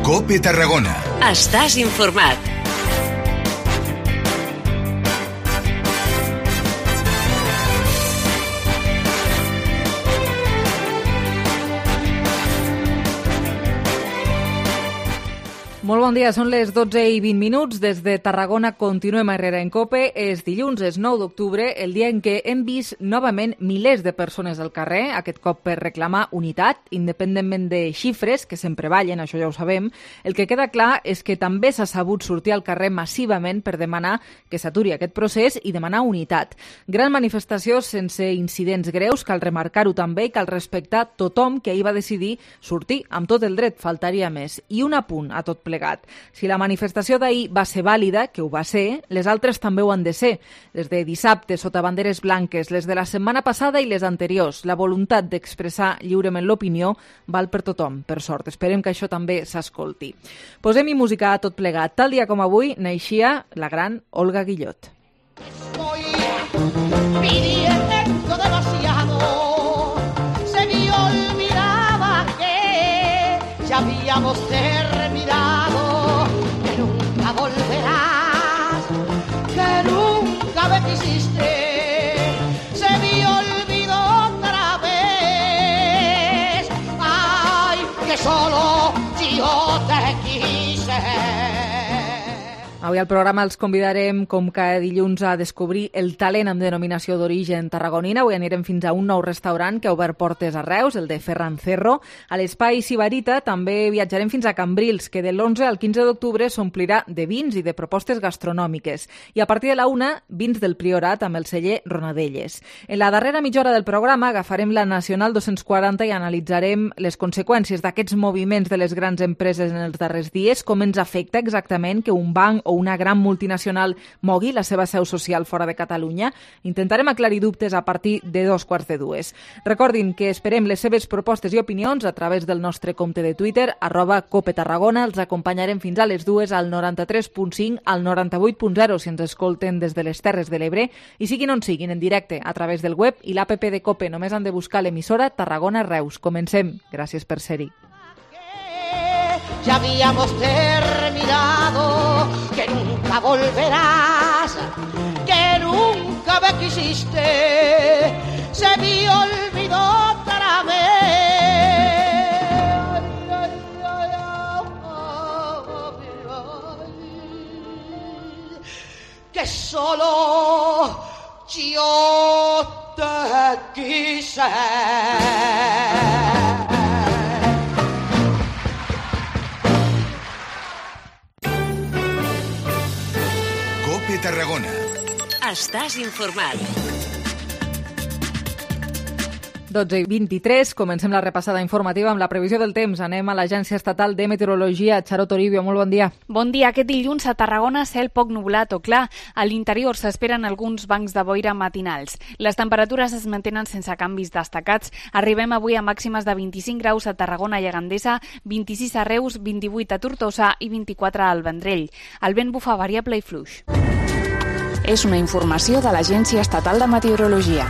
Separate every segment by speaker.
Speaker 1: COPE Tarragona.
Speaker 2: Estàs informat.
Speaker 3: Molt bon dia, són les 12:20. Des de Tarragona continuem a Herrera en COPE. És dilluns, és 9 d'octubre, el dia en què hem vist novament milers de persones al carrer, aquest cop per reclamar unitat, independentment de xifres, que sempre ballen, això ja ho sabem. El que queda clar és que també s'ha sabut sortir al carrer massivament per demanar que s'aturi aquest procés i demanar unitat. Gran manifestació sense incidents greus, cal remarcar-ho també, i cal respectar tothom que ahir va decidir sortir amb tot el dret, faltaria més. I un apunt a tot plegat. Si la manifestació d'ahir va ser vàlida, que ho va ser, les altres també ho han de ser. Les de dissabte, sota banderes blanques, les de la setmana passada i les anteriors. La voluntat d'expressar lliurement l'opinió val per tothom, per sort. Esperem que això també s'escolti. Posem-hi música a tot plegat. Tal dia com avui naixia la gran Olga Guillot.
Speaker 4: Estoy pidiendo demasiado, se me olvidaba que ya habíamos terminado, que nunca volverás, que nunca me quisiste, se me olvidó otra vez, ay, que solo yo te quise.
Speaker 3: Avui al programa els convidarem, com cada dilluns, a descobrir el talent amb denominació d'origen tarragonina. Avui anirem fins a un nou restaurant que ha obert portes a Reus, el de Ferran Cerro. A l'Espai Sibarita també viatjarem fins a Cambrils, que de l'11 al 15 d'octubre s'omplirà de vins i de propostes gastronòmiques. I a partir de la 1, vins del Priorat amb el celler Ronadelles. En la darrera mitja hora del programa agafarem la Nacional 240 i analitzarem les conseqüències d'aquests moviments de les grans empreses en els darrers dies, com ens afecta exactament que un banc o una gran multinacional mogui la seva seu social fora de Catalunya. Intentarem aclarir dubtes a partir de 2:45. Recordin que esperem les seves propostes i opinions a través del nostre compte de Twitter, @CopeTarragona. Els acompanyarem fins a les 2 al 93.5, al 98.0 si ens escolten des de les Terres de l'Ebre i siguin on siguin, en directe a través del web i l'APP de COPE. Només han de buscar l'emissora Tarragona Reus. Comencem. Gràcies per ser-hi.
Speaker 4: Ya habíamos terminado, que nunca volverás, que nunca me quisiste, se me olvidó otra vez. Que solo yo te quise.
Speaker 1: COPE Tarragona.
Speaker 2: Estàs informat.
Speaker 3: 12:23, comencem la repassada informativa amb la previsió del temps. Anem a l'Agència Estatal de Meteorologia. Charo Toribio, molt bon dia.
Speaker 5: Bon dia. Aquest dilluns a Tarragona cel poc nublat o clar. A l'interior s'esperen alguns bancs de boira matinals. Les temperatures es mantenen sense canvis destacats. Arribem avui a màximes de 25 graus a Tarragona i a Gandesa, 26 a Reus, 28 a Tortosa i 24 al Vendrell. El vent bufa variable i fluix.
Speaker 6: És una informació de l'Agència Estatal de Meteorologia.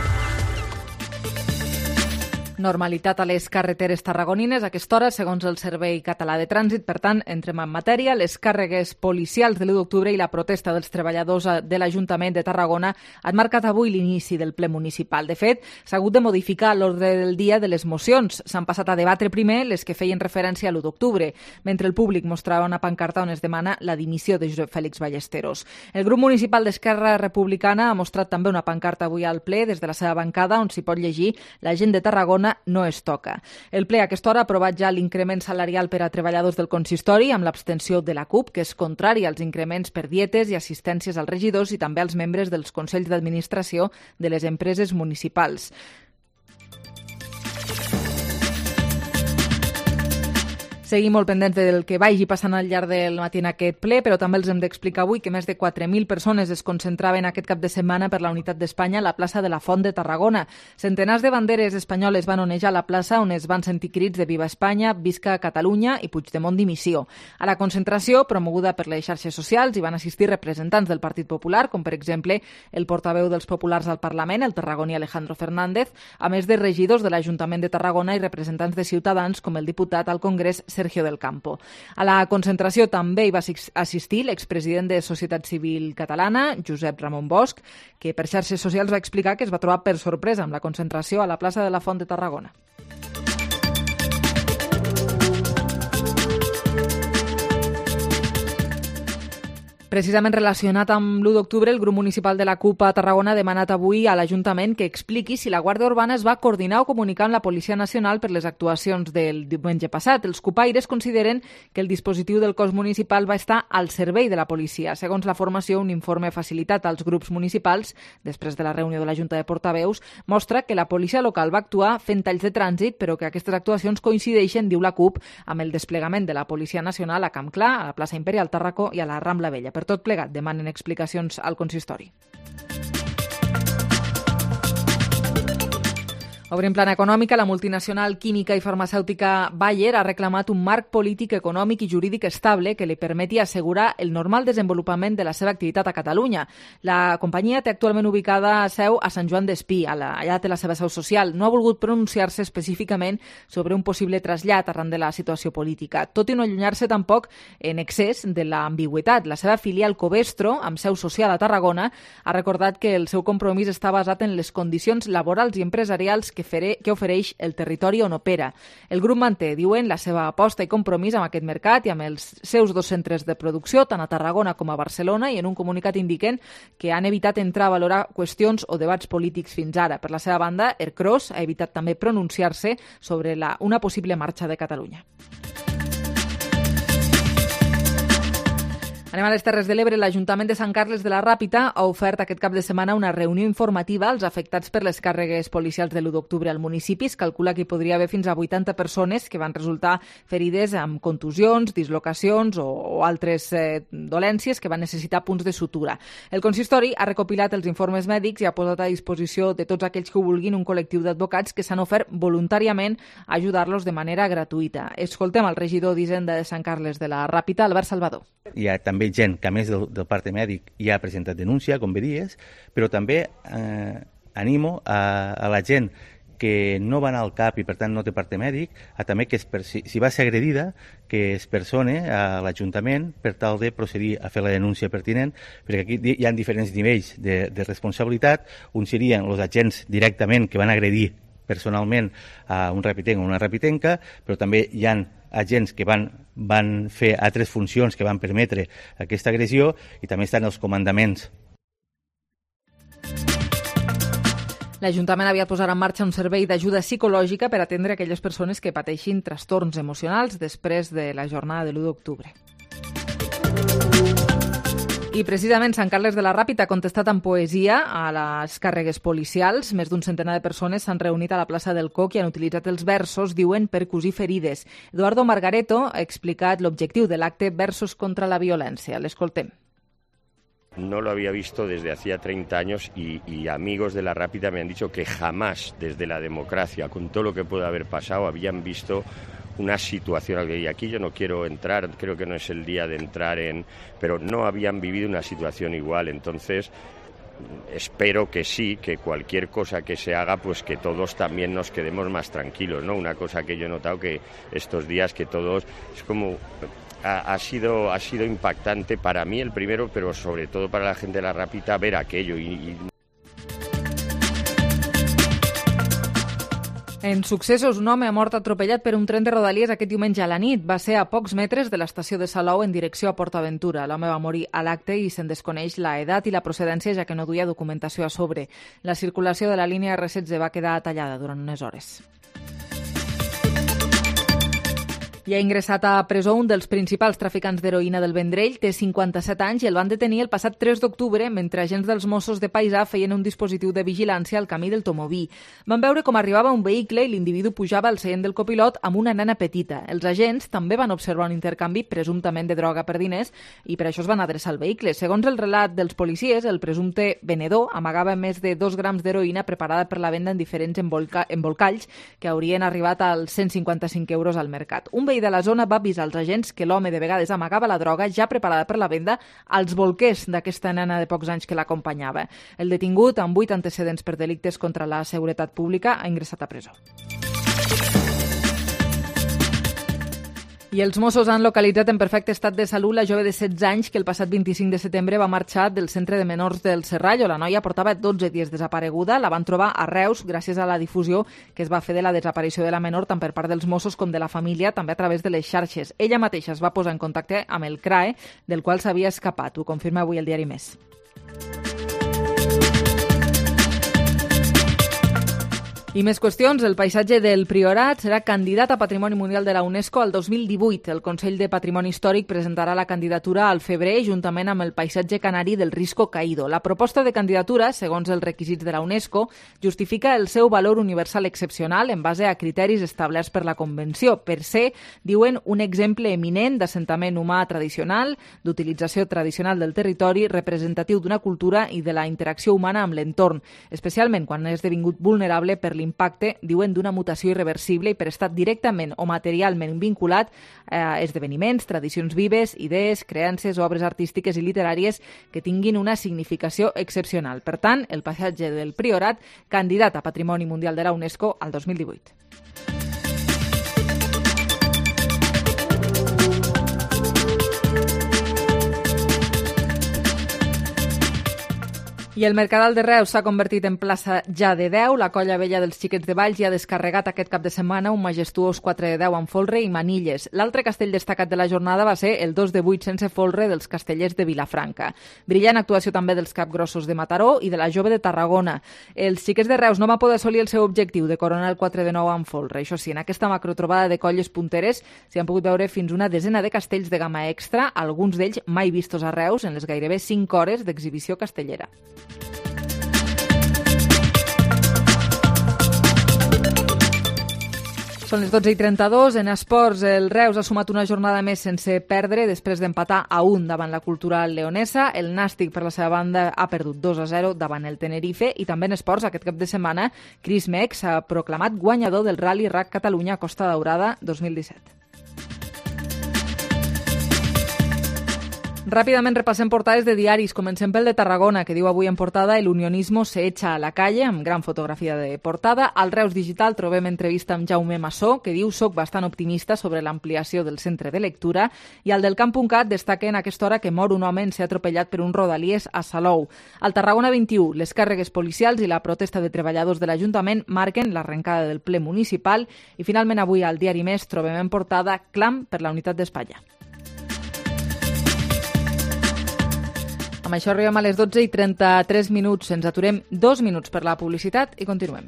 Speaker 3: Normalitat a les carreteres tarragonines a aquesta hora, segons el Servei Català de Trànsit. Per tant, entrem en matèria. Les càrregues policials de l'1 d'octubre i la protesta dels treballadors de l'Ajuntament de Tarragona han marcat avui l'inici del ple municipal. De fet, s'ha hagut de modificar l'ordre del dia de les mocions. S'han passat a debatre primer les que feien referència a l'1 d'octubre, mentre el públic mostrava una pancarta on es demana la dimissió de Josep Fèlix Ballesteros. El grup municipal d'Esquerra Republicana ha mostrat també una pancarta avui al ple des de la seva bancada on s'hi pot llegir "La gent de Tarragona no es toca". El ple a aquesta hora ha aprovat ja l'increment salarial per a treballadors del consistori amb l'abstenció de la CUP, que és contrària als increments per dietes i assistències als regidors i també als membres dels consells d'administració de les empreses municipals. Seguim molt pendents del que vagi passant al llarg del matí en aquest ple, però també els hem d'explicar avui que més de 4.000 persones es concentraven aquest cap de setmana per la unitat d'Espanya a la plaça de la Font de Tarragona. Centenars de banderes espanyoles van onejar la plaça on es van sentir crits de Viva Espanya, Visca Catalunya i Puigdemont dimissió. A la concentració, promoguda per les xarxes socials, hi van assistir representants del Partit Popular, com per exemple el portaveu dels populars al Parlament, el tarragoní Alejandro Fernández, a més de regidors de l'Ajuntament de Tarragona i representants de Ciutadans, com el diputat al Congrés Sergio del Campo. A la concentració també hi va assistir l'expresident de Societat Civil Catalana, Josep Ramon Bosch, que per xarxes socials va explicar que es va trobar per sorpresa amb la concentració a la plaça de la Font de Tarragona. Precisament relacionat amb l'1 d'octubre, el grup municipal de la CUP a Tarragona ha demanat avui a l'Ajuntament que expliqui si la Guàrdia Urbana es va coordinar o comunicar amb la Policia Nacional per les actuacions del diumenge passat. Els cupaires consideren que el dispositiu del cos municipal va estar al servei de la policia. Segons la formació, un informe facilitat als grups municipals després de la reunió de la Junta de Portaveus mostra que la policia local va actuar fent talls de trànsit, però que aquestes actuacions coincideixen, diu la CUP, amb el desplegament de la Policia Nacional a Camp Clar, a la plaça Imperial Tàrraco i a la Rambla Vella. Per tot plegat, demanen explicacions al consistori. Obrim plana econòmica, la multinacional química i farmacèutica Bayer ha reclamat un marc polític, econòmic i jurídic estable que li permeti assegurar el normal desenvolupament de la seva activitat a Catalunya. La companyia té actualment ubicada seu a Sant Joan d'Espí, allà té la seva seu social. No ha volgut pronunciar-se específicament sobre un possible trasllat arran de la situació política, tot i no allunyar-se tampoc en excés de l'ambigüitat. La seva filial Covestro, amb seu social a Tarragona, ha recordat que el seu compromís està basat en les condicions laborals i empresarials que ofereix el territori on opera. El grup manté, diuen, la seva aposta i compromís amb aquest mercat i amb els seus 2 centres de producció, tant a Tarragona com a Barcelona, i en un comunicat indiquen que han evitat entrar a valorar qüestions o debats polítics fins ara. Per la seva banda, Ercros ha evitat també pronunciar-se sobre una possible marxa de Catalunya. Anem a les Terres de l'Ebre. L'Ajuntament de Sant Carles de la Ràpita ha ofert aquest cap de setmana una reunió informativa als afectats per les càrregues policials de l'1 d'octubre al municipi. Es calcula que hi podria haver fins a 80 persones que van resultar ferides amb contusions, dislocacions o altres dolències que van necessitar punts de sutura. El consistori ha recopilat els informes mèdics i ha posat a disposició de tots aquells que ho vulguin un col·lectiu d'advocats que s'han ofert voluntàriament a ajudar-los de manera gratuïta. Escoltem el regidor d'Hisenda de Sant Carles de la Ràpita, Albert Salvador.
Speaker 7: Hi ha també gent que, a més del parte mèdic, ja ha presentat denúncia, com veies, però també animo a la gent que no va anar al CAP i, per tant, no té parte mèdic, a també que si va ser agredida, que es persone a l'Ajuntament per tal de procedir a fer la denúncia pertinent, perquè aquí hi ha diferents nivells de responsabilitat. Un serien els agents directament que van agredir personalment a un rapitenc o una rapitenca, però també hi ha agents que van fer altres funcions que van permetre aquesta agressió, i també estan els comandaments.
Speaker 3: L'Ajuntament aviat posarà en marxa un servei d'ajuda psicològica per atendre aquelles persones que pateixin trastorns emocionals després de la jornada de l'1 d'octubre. I precisament Sant Carles de la Ràpita ha contestat amb poesia a les càrregues policials. Més d'un centenar de persones s'han reunit a la plaça del Coc i han utilitzat els versos, diuen, per cosir ferides. Eduardo Margareto ha explicat l'objectiu de l'acte Versos contra la violència. L'escoltem.
Speaker 8: No lo había visto desde hacía 30 años y amigos de la Rápida me han dicho que jamás desde la democracia, con todo lo que puede haber pasado, habían visto una situación, y aquí yo no quiero entrar, creo que no es el día de entrar pero no habían vivido una situación igual. Entonces espero que sí, que cualquier cosa que se haga, pues que todos también nos quedemos más tranquilos, ¿no? Una cosa que yo he notado que estos días que todos, es como ha sido impactante para mí el primero, pero sobre todo para la gente de la Ràpita ver aquello
Speaker 3: En successos, un home ha mort atropellat per un tren de Rodalies aquest diumenge a la nit. Va ser a pocs metres de l'estació de Salou en direcció a PortAventura. L'home va morir a l'acte i se'n desconeix la edat i la procedència, ja que no duia documentació a sobre. La circulació de la línia R16 va quedar tallada durant unes hores. I ha ingressat a presó un dels principals traficants d'heroïna del Vendrell. Té 57 anys i el van detenir el passat 3 d'octubre mentre agents dels Mossos de Paisà feien un dispositiu de vigilància al camí del Tomoví. Van veure com arribava un vehicle i l'individu pujava al seient del copilot amb una nena petita. Els agents també van observar un intercanvi presumptament de droga per diners i per això es van adreçar al vehicle. Segons el relat dels policies, el presumpte venedor amagava més de 2 grams d'heroïna preparada per la venda en diferents embolcalls que haurien arribat als 155 euros al mercat. Un veí de la zona va avisar als agents que l'home de vegades amagava la droga ja preparada per la venda als bolquers d'aquesta nena de pocs anys que l'acompanyava. El detingut, amb 8 antecedents per delictes contra la seguretat pública, ha ingressat a presó. I els Mossos han localitzat en perfecte estat de salut la jove de 16 anys que el passat 25 de setembre va marxar del centre de menors del Serrallo. La noia portava 12 dies desapareguda, la van trobar a Reus gràcies a la difusió que es va fer de la desaparició de la menor tant per part dels Mossos com de la família, també a través de les xarxes. Ella mateixa es va posar en contacte amb el CRAE, del qual s'havia escapat. Ho confirma avui el diari Més. I més qüestions. El paisatge del Priorat serà candidat a Patrimoni Mundial de la UNESCO al 2018. El Consell de Patrimoni Històric presentarà la candidatura al febrer juntament amb el paisatge canari del Risco Caído. La proposta de candidatura, segons els requisits de la UNESCO, justifica el seu valor universal excepcional en base a criteris establerts per la Convenció, per ser, diuen, un exemple eminent d'assentament humà tradicional, d'utilització tradicional del territori, representatiu d'una cultura i de la interacció humana amb l'entorn, especialment quan ha esdevingut vulnerable per l'impacte, diuen, d'una mutació irreversible i per estar directament o materialment vinculat a esdeveniments, tradicions vives, idees, creences, obres artístiques i literàries que tinguin una significació excepcional. Per tant, el paisatge del Priorat, candidat a Patrimoni Mundial de la UNESCO al 2018. I el Mercadal de Reus s'ha convertit en plaça ja de 10. La colla vella dels Xiquets de Valls ja ha descarregat aquest cap de setmana un majestuós 4 de 10 amb folre i manilles. L'altre castell destacat de la jornada va ser el 2 de 8 sense folre dels castellers de Vilafranca. Brillant actuació també dels capgrossos de Mataró i de la jove de Tarragona. Els Xiquets de Reus no van poder assolir el seu objectiu de coronar el 4 de 9 amb folre. Això sí, en aquesta macrotrobada de colles punteres s'hi han pogut veure fins una desena de castells de gamma extra, alguns d'ells mai vistos a Reus en les gairebé 5 hores d'exhibició castellera. Són les 12:32. En esports, el Reus ha sumat una jornada més sense perdre després d'empatar a 1 davant la Cultural leonesa. El Nàstic, per la seva banda, ha perdut 2-0 davant el Tenerife. I també en esports, aquest cap de setmana, Chris Meck s'ha proclamat guanyador del Rally RAC Catalunya Costa Daurada 2017. Ràpidament repassem portades de diaris. Comencem pel de Tarragona, que diu avui en portada "El unionismo se echa a la calle", amb gran fotografia de portada. Al Reus Digital trobem entrevista amb Jaume Massó, que diu "Soc bastant optimista sobre l'ampliació del centre de lectura", i al del Camp.cat destaca en aquesta hora que mor un home en ser atropellat per un rodalies a Salou. Al Tarragona 21, les càrregues policials i la protesta de treballadors de l'Ajuntament marquen l'arrencada del ple municipal. I finalment avui al diari Més trobem en portada "Clam per la unitat d'Espanya". Amb això arribem a les 12:33. Ens aturem 2 minuts per la publicitat i continuem.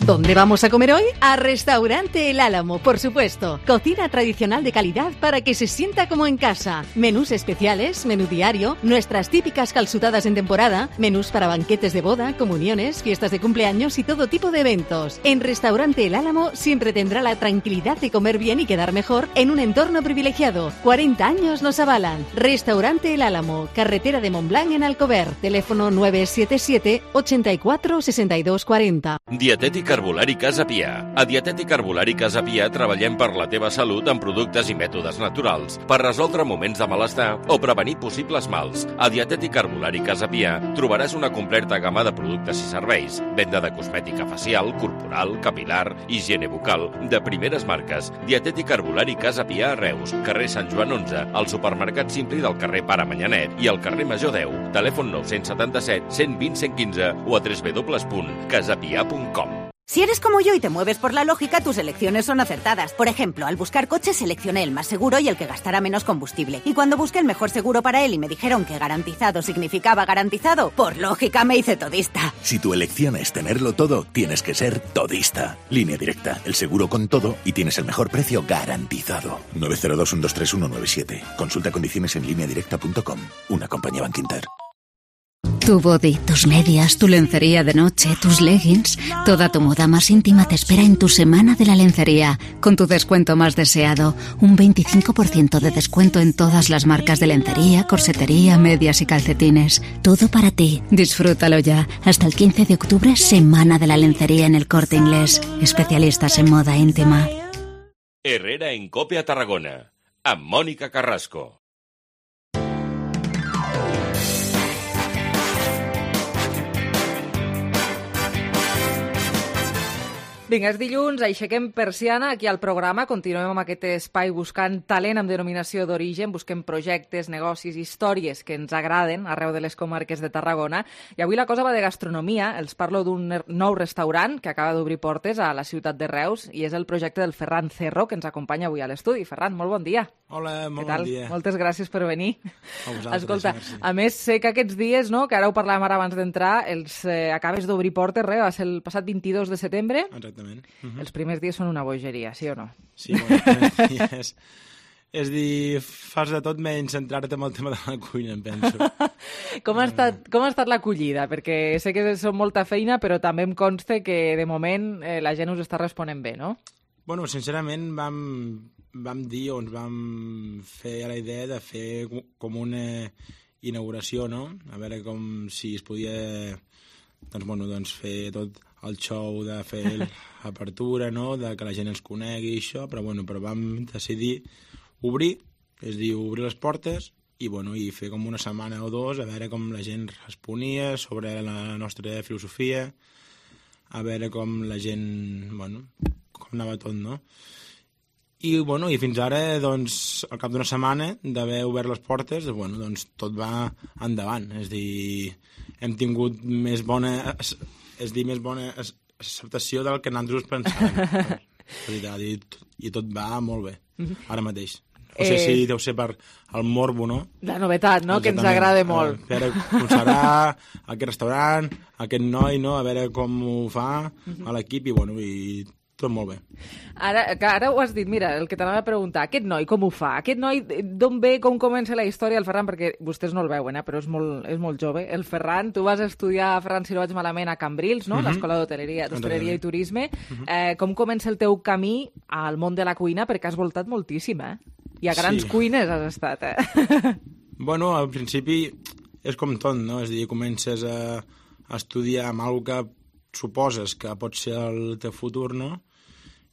Speaker 9: ¿Dónde vamos a comer hoy? A Restaurante El Álamo, por supuesto. Cocina tradicional de calidad para que se sienta como en casa. Menús especiales, menú diario, nuestras típicas calzutadas en temporada, menús para banquetes de boda, comuniones, fiestas de cumpleaños y todo tipo de eventos. En Restaurante El Álamo siempre tendrá la tranquilidad de comer bien y quedar mejor en un entorno privilegiado. 40 años nos avalan. Restaurante El Álamo, carretera de Montblanc en Alcover. Teléfono 977 84 62 40.
Speaker 10: Dietètic Herbolari Casa Pia. A Dietètic Herbolari Casa Pia treballem per la teva salut amb productes i mètodes naturals per resoldre moments de malestar o prevenir possibles mals. A Dietètic Herbolari Casa Pia trobaràs una completa gamma de productes i serveis, venda de cosmètica facial, corporal, capilar, higiene bucal, de primeres marques. Dietètic Herbolari Casa Pia a Reus, carrer Sant Joan 11, al supermercat Simpli del carrer Pare Manyanet i al carrer Major 10. Telèfon 977 120 115 o a www.casapia.com.
Speaker 11: Si eres como yo y te mueves por la lógica, tus elecciones son acertadas. Por ejemplo, al buscar coche seleccioné el más seguro y el que gastara menos combustible. Y cuando busqué el mejor seguro para él y me dijeron que garantizado significaba garantizado, por lógica me hice todista.
Speaker 12: Si tu elección es tenerlo todo, tienes que ser todista. Línea Directa, el seguro con todo y tienes el mejor precio garantizado. 902 123 197. Consulta condiciones en lineadirecta.com. Una compañía Bankinter.
Speaker 13: Tu body, tus medias, tu lencería de noche, tus leggings, toda tu moda más íntima te espera en tu Semana de la Lencería, con tu descuento más deseado, un 25% de descuento en todas las marcas de lencería, corsetería, medias y calcetines. Todo para ti. Disfrútalo ya. Hasta el 15 de octubre, Semana de la Lencería en El Corte Inglés. Especialistas en moda íntima.
Speaker 10: Herrera en Cope a Tarragona, amb Mònica Carrasco.
Speaker 3: Vinga, és dilluns, aixequem persiana aquí al programa, continuem amb aquest espai buscant talent amb denominació d'origen, busquem projectes, negocis, històries que ens agraden arreu de les comarques de Tarragona, i avui la cosa va de gastronomia. Els parlo d'un nou restaurant que acaba d'obrir portes a la ciutat de Reus, i és el projecte del Ferran Cerro, que ens acompanya avui a l'estudi. Ferran, molt bon dia.
Speaker 14: Hola, molt bon dia.
Speaker 3: Moltes gràcies per venir.
Speaker 14: A vosaltres,
Speaker 3: escolta,
Speaker 14: merci.
Speaker 3: A més, sé que aquests dies, no, que ara ho parlàvem ara abans d'entrar, acabes d'obrir portes, va ser el passat 22 de setembre.
Speaker 14: Exactament.
Speaker 3: Els primers dies són una bogeria, sí o no?
Speaker 14: Sí, bueno, els primers dies... És dir, fas de tot menys centrar-te en el tema de la cuina, em penso.
Speaker 3: Com ha estat l'acollida? Perquè sé que són molta feina, però també em consta que de moment la gent us està responent bé, no?
Speaker 14: Bueno, sincerament vam dir o ens vam fer la idea de fer com una inauguració, no? A veure com si es podia doncs fer tot el show de fer l'apertura, no? De que la gent ens conegui i això, però vam decidir obrir, és a dir, obrir les portes i fer com una setmana o dos a veure com la gent responia sobre la nostra filosofia, a veure com la gent, com anava tot, no? I fins ara, al cap d'una setmana d'haver obert les portes, tot va endavant. És a dir, hem tingut més bona acceptació del que nosaltres pensàvem. I tot va molt bé, ara mateix. No sé si deu ser per el morbo, no?
Speaker 3: La novetat, no? Que ens agrada molt.
Speaker 14: A veure com serà aquest restaurant, aquest noi, no? A veure com ho fa a l'equip i tot molt bé.
Speaker 3: Ara ho has dit, mira, el que t'anava a preguntar, aquest noi com ho fa? Aquest noi, d'on ve, com comença la història? El Ferran, perquè vostès no el veuen, però és molt jove. El Ferran, tu vas estudiar, Ferran, si no vaig malament, a Cambrils, no? L'Escola d'Hostaleria i Turisme. Com comença el teu camí al món de la cuina? Perquè has voltat moltíssim, I a grans cuines has estat,
Speaker 14: Al principi és com tot, no? És a dir, comences a estudiar amb alguna que suposes que pot ser el teu futur, no?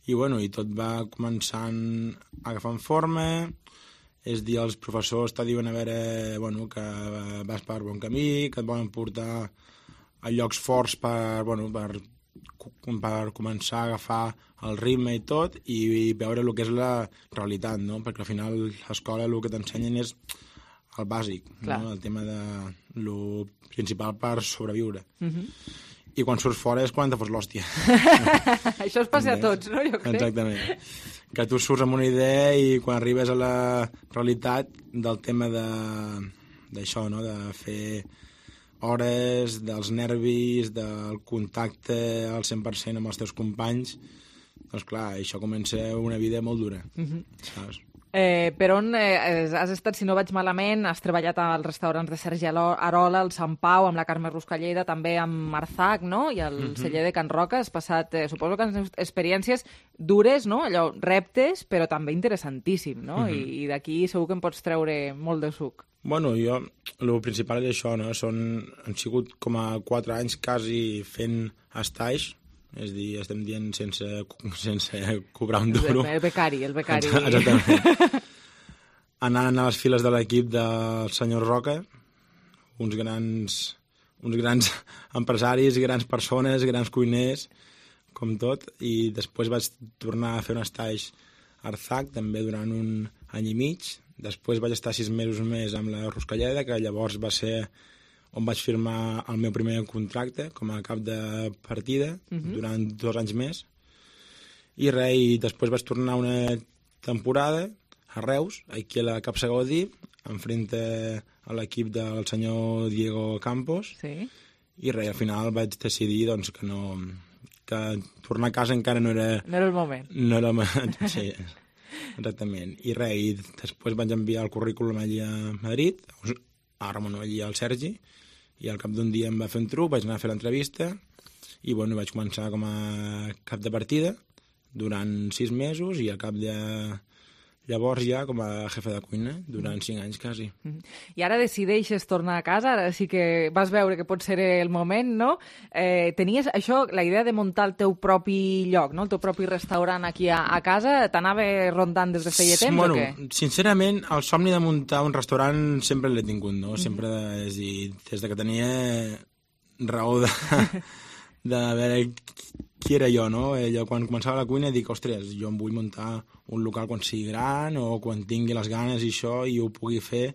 Speaker 14: I tot va començant agafant forma, és a dir, els professors te diuen a veure que vas per bon camí, que et volen portar a llocs forts per començar a agafar el ritme i tot, i veure el que és la realitat, no? Perquè al final l'escola el que t'ensenyen és el bàsic, no? El tema de lo principal per sobreviure. I quan surts fora és quan te fos l'hòstia.
Speaker 3: Això es passa a tots, no? Jo crec.
Speaker 14: Exactament. Que tu surts amb una idea i quan arribes a la realitat del tema d'això, no? De fer hores, dels nervis, del contacte al 100% amb els teus companys, doncs clar, això comença una vida molt dura, saps?
Speaker 3: Per on has estat, si no vaig malament? Has treballat als restaurants de Sergi Arola, al Sant Pau, amb la Carme Ruscalleda, també amb Marzac, no? I el celler de Can Roca. Has passat, suposo que experiències dures, no? Allò, reptes, però també interessantíssim, no? I d'aquí segur que en pots treure molt de suc.
Speaker 14: Bueno, jo, el principal és això, no? Han sigut com a 4 anys quasi fent estais, és a dir, estem dient sense cobrar un duro.
Speaker 3: El becari.
Speaker 14: Exactament. Anant a les files de l'equip del senyor Roca, uns grans empresaris, grans persones, grans cuiners, com tot, i després vaig tornar a fer un estage a Arzac, també durant un any i mig. Després vaig estar 6 mesos més amb la Ruscalleda, que llavors va ser on vaig firmar el meu primer contracte com a cap de partida durant 2 anys més. I després vaig tornar una temporada a Reus, aquí a la Capsa Gaudí, enfrente a l'equip del senyor Diego Campos.
Speaker 3: Sí.
Speaker 14: I al final vaig decidir que tornar a casa encara no era...
Speaker 3: No era el moment.
Speaker 14: No era el moment, sí. Exactament. I després vaig enviar el currículum allí a Madrid, allí al Sergi, i al cap d'un dia em va fer un truc, vaig anar a fer l'entrevista i vaig començar com a cap de partida durant 6 mesos i al cap de llavors ja com a jefe de cuina durant 5 anys quasi.
Speaker 3: I ara decideixes tornar a casa, ara sí que vas veure que pot ser el moment, no? Tenies això, la idea de muntar el teu propi lloc, no? El teu propi restaurant aquí a casa, t'anava rondant des de feia temps o què?
Speaker 14: Sincerament, el somni de muntar un restaurant sempre l'he tingut, no? Sempre, és a dir, des de que tenia raó de veure qui era jo, no? Jo, quan començava la cuina, dic, ostres, jo em vull muntar un local quan sigui gran o quan tingui les ganes i això i ho pugui fer,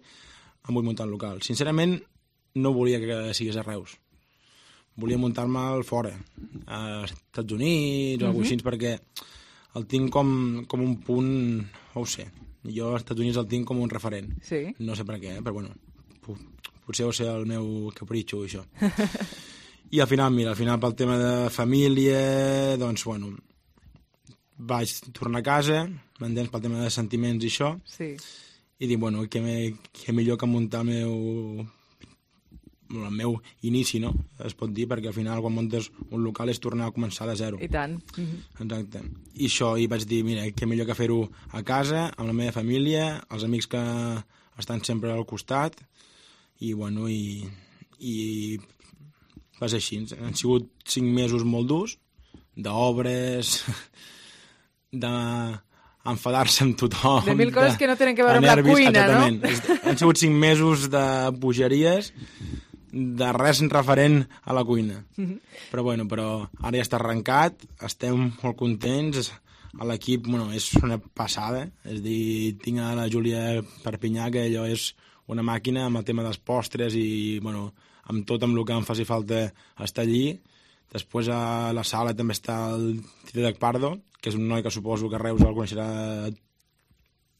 Speaker 14: em vull muntar un local. Sincerament, no volia que sigués a Reus. Volia muntar-me'l fora, als Estats Units o alguna cosa així, perquè el tinc com un punt, no ho sé, jo als Estats Units el tinc com un referent.
Speaker 3: Sí.
Speaker 14: No sé per què, però bueno, potser deu ser el meu capritxo, això. I al final, mira, pel tema de família, doncs, bueno, vaig tornar a casa, m'entens, pel tema de sentiments i això,
Speaker 3: sí.
Speaker 14: I dic, bueno, què millor que muntar el meu inici, no? Es pot dir, perquè al final quan muntes un local és tornar a començar de zero.
Speaker 3: I tant.
Speaker 14: Exacte. I això, i vaig dir, mira, què millor que fer-ho a casa, amb la meva família, els amics que estan sempre al costat, i bueno, i va ser així. Han sigut 5 mesos molt durs, d'obres, d'enfadar-se amb tothom.
Speaker 3: De mil coses que no tenen que veure amb la cuina,
Speaker 14: exactament.
Speaker 3: No?
Speaker 14: Han sigut 5 mesos de bogeries, de res referent a la cuina. Però ara ja està arrencat, estem molt contents, a l'equip, bueno, és una passada, és a dir, tinc a la Júlia Perpinyà, que allò és una màquina amb el tema dels postres i, bueno, amb tot amb el que em faci falta estar allí. Després a la sala també està el Dídac Pardo, que és un noi que suposo que a Reus el coneixerà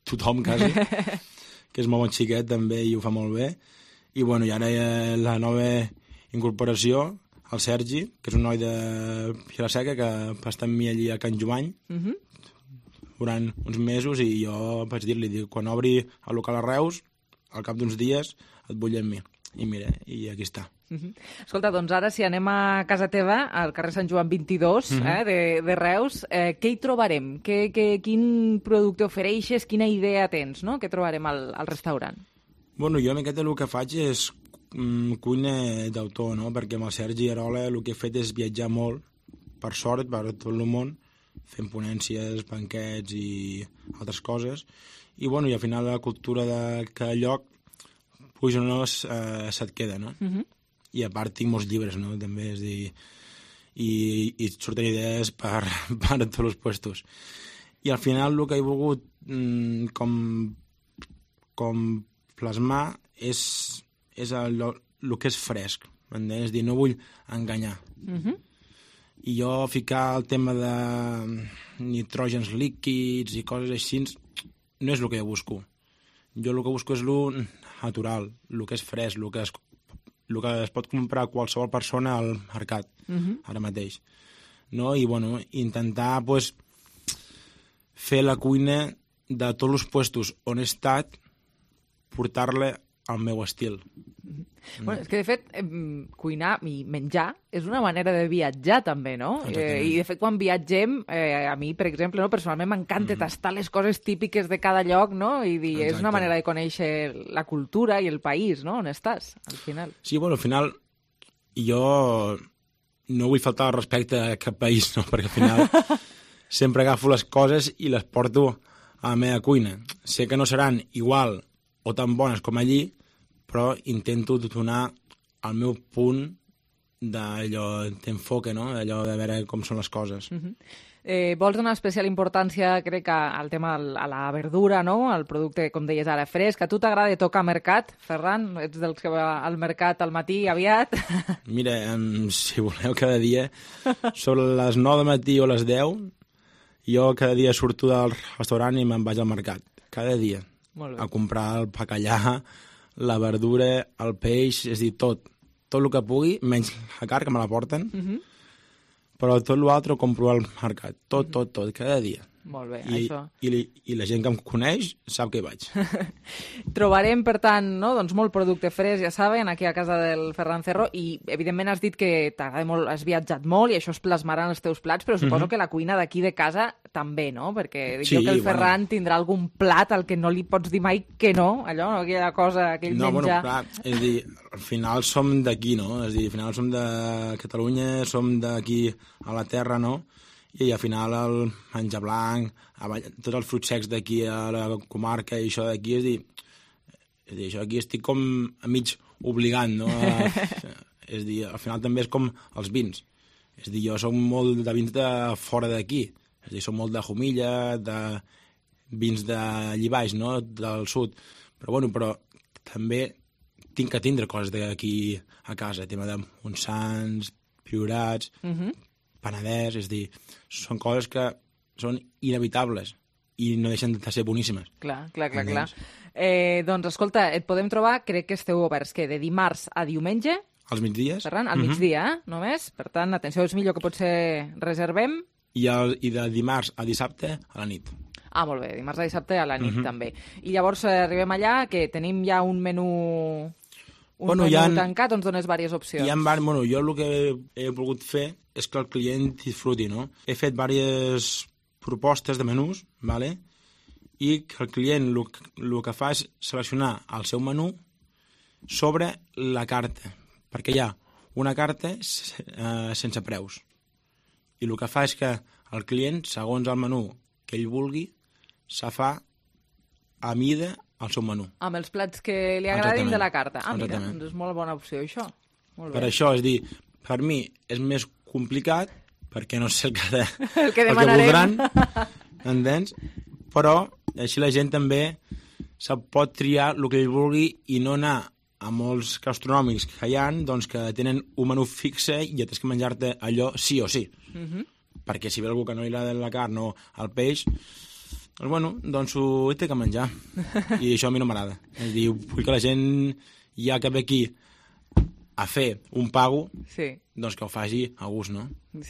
Speaker 14: tothom, quasi, que és molt bon xiquet també i ho fa molt bé. I, bueno, i ara hi ha la nova incorporació, el Sergi, que és un noi de Vilaseca, que va estar amb mi allí a Can Jumany durant uns mesos, i jo vaig dir-li, quan obri el local a Reus, al cap d'uns dies et vull amb mi. I mira, i aquí està.
Speaker 3: Escolta, doncs ara si anem a casa teva, al carrer Sant Joan 22, de Reus, què hi trobarem? Quin producte ofereixes? Quina idea tens, no? Què trobarem al restaurant?
Speaker 14: Bueno, jo aquest el que faig és cuina d'autor, no? Perquè amb el Sergi Arola el que he fet és viatjar molt, per sort, per tot el món, fent ponències, banquets i altres coses. I, bueno, i al final la cultura de cada lloc, puix o no, se't queda, no? I a part tinc molts llibres, no?, també, és dir, i surten idees per tots els puestos. I al final el que he volgut com plasmar és el que és fresc, m'entens? És dir, no vull enganyar. I jo ficar el tema de nitrògens líquids i coses així no és el que jo busco. Jo el que busco és el natural, el que és fresc, el que es pot comprar qualsevol persona al mercat, ara mateix. No? I, bueno, intentar pues, fer la cuina de tots els puestos on he estat, portar-la al meu estil.
Speaker 3: Bueno, és que, de fet, cuinar i menjar és una manera de viatjar, també, no? I, de fet, quan viatgem, a mi, per exemple, no, personalment m'encanta tastar les coses típiques de cada lloc, no? I dir, és una manera de conèixer la cultura i el país, no?, on estàs, al final.
Speaker 14: Sí, bueno, al final, jo no vull faltar el respecte a cap país, no?, perquè al final sempre agafo les coses i les porto a la meva cuina. Sé que no seran igual o tan bones com allí, però intento donar el meu punt d'enfoque, no? Allò de veure com són les coses.
Speaker 3: Vols donar especial importància, crec, al tema a la verdura, no? Al producte, com deies ara, fresc. A tu t'agrada tocar mercat, Ferran? Ets dels que va al mercat al matí aviat?
Speaker 14: Mira, si voleu cada dia, sobre les 9 del matí o les 10, jo cada dia surto del restaurant i me'n vaig al mercat. Cada dia. A comprar el bacallà, la verdura, el peix, és a dir, tot el que pugui, menys la carn, que me la porten, però tot l'altre ho compro al mercat, tot, cada dia.
Speaker 3: Molt bé,
Speaker 14: això. I la gent que em coneix sap que hi vaig.
Speaker 3: Trobarem, per tant, no? Doncs molt producte fresc, ja saben, aquí a casa del Ferran Cerro, i evidentment has dit que t'agrada molt, has viatjat molt i això es plasmarà en els teus plats, però suposo que la cuina d'aquí de casa també, no? Perquè dic jo que el Ferran tindrà algun plat al que no li pots dir mai que no, allò, aquella cosa, aquell menjar.
Speaker 14: No, bueno, clar, és a dir, al final som d'aquí, no? És a dir, al final som de Catalunya, som d'aquí a la terra, no? I al final el menjar blanc, tots els fruits secs d'aquí a la comarca i això d'aquí, és dir, això aquí estic com a mig obligant, no? És dir, al final també és com els vins. És a dir, jo soc molt de vins de fora d'aquí. És a dir, soc molt de Jumilla, de vins d'allí baix, no?, del sud. Però també tinc que tindre coses d'aquí a casa, tema de Montsants, Priorats, Penedès, és a dir, són coses que són inevitables i no deixen de ser boníssimes.
Speaker 3: Clar. Doncs, escolta, et podem trobar, crec que esteu oberts, que de dimarts a diumenge...
Speaker 14: Als migdies.
Speaker 3: Ferran, al migdia, només. Per tant, atenció, és millor que potser reservem.
Speaker 14: I de dimarts a dissabte a la nit.
Speaker 3: Ah, molt bé, dimarts a dissabte a la nit, també. I llavors arribem allà, que tenim ja un menú... tancat, on dones diverses opcions.
Speaker 14: Jo el que he volgut fer és que el client disfruti, no? He fet diverses propostes de menús, ¿vale? I que el client el que fa és seleccionar el seu menú sobre la carta, perquè hi ha una carta sense preus. I el que fa és que el client, segons el menú que ell vulgui, se fa a mida el seu menú.
Speaker 3: Amb els plats que li agradin de la carta. Ah, mira, doncs és molt bona opció, això. Molt bé.
Speaker 14: Per això, és dir, per mi és més complicat, perquè no sé
Speaker 3: el que voldran,
Speaker 14: entens? Però així la gent també se pot triar el que ell vulgui i no anar a molts gastronòmics que hi ha, doncs que tenen un menú fixe i tens que menjar-te allò sí o sí. Perquè si ve algú que no li agrada la carn o el peix, doncs ho té que menjar. I això a mi no m'agrada. És a dir, vull que la gent, ja que ve aquí a fer un pago, doncs que ho faci a gust, no?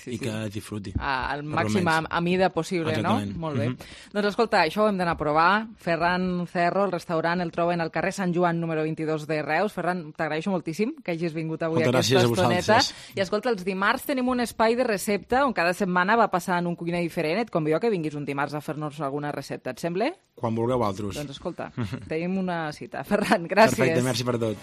Speaker 14: I que disfruti.
Speaker 3: Al màxim a mida possible, no? Molt bé. Doncs escolta, això ho hem d'anar a provar. Ferran Cerro, el restaurant, el troben al carrer Sant Joan número 22 de Reus. Ferran, t'agraeixo moltíssim que hagis vingut avui a aquesta estoneta. I escolta, els dimarts tenim un espai de recepta on cada setmana va passant un cuiner diferent. Et convido que vinguis un dimarts a fer-nos alguna recepta. Et sembla?
Speaker 14: Quan vulgueu altres.
Speaker 3: Doncs escolta, tenim una cita. Ferran, gràcies.
Speaker 14: Perfecte, merci per tot.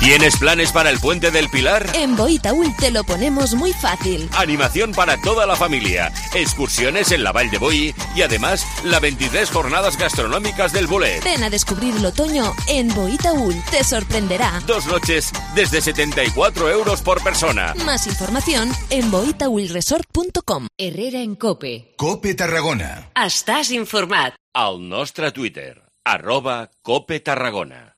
Speaker 10: ¿Tienes planes para el Puente del Pilar?
Speaker 15: En Boitaúl te lo ponemos muy fácil.
Speaker 10: Animación para toda la familia, excursiones en la Vall de Boí y además la 23 jornadas gastronómicas del Bolet.
Speaker 15: Ven a descubrir el otoño en Boitaúl, te sorprenderá.
Speaker 10: 2 noches desde 74 euros por persona.
Speaker 15: Más información en boitaulresort.com.
Speaker 2: Herrera en COPE.
Speaker 1: COPE Tarragona.
Speaker 2: Estàs informat.
Speaker 10: Al nostre Twitter, @COPETarragona.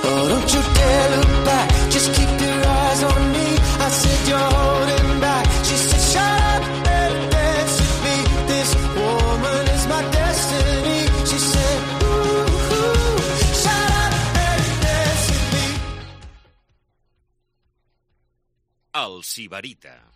Speaker 16: Oh, don't you dare look back, just keep your eyes on me. I said you're holding back. She said shut up and dance with me. This woman is my destiny. She said ooh, shut up and dance with me.
Speaker 10: El Sibarita.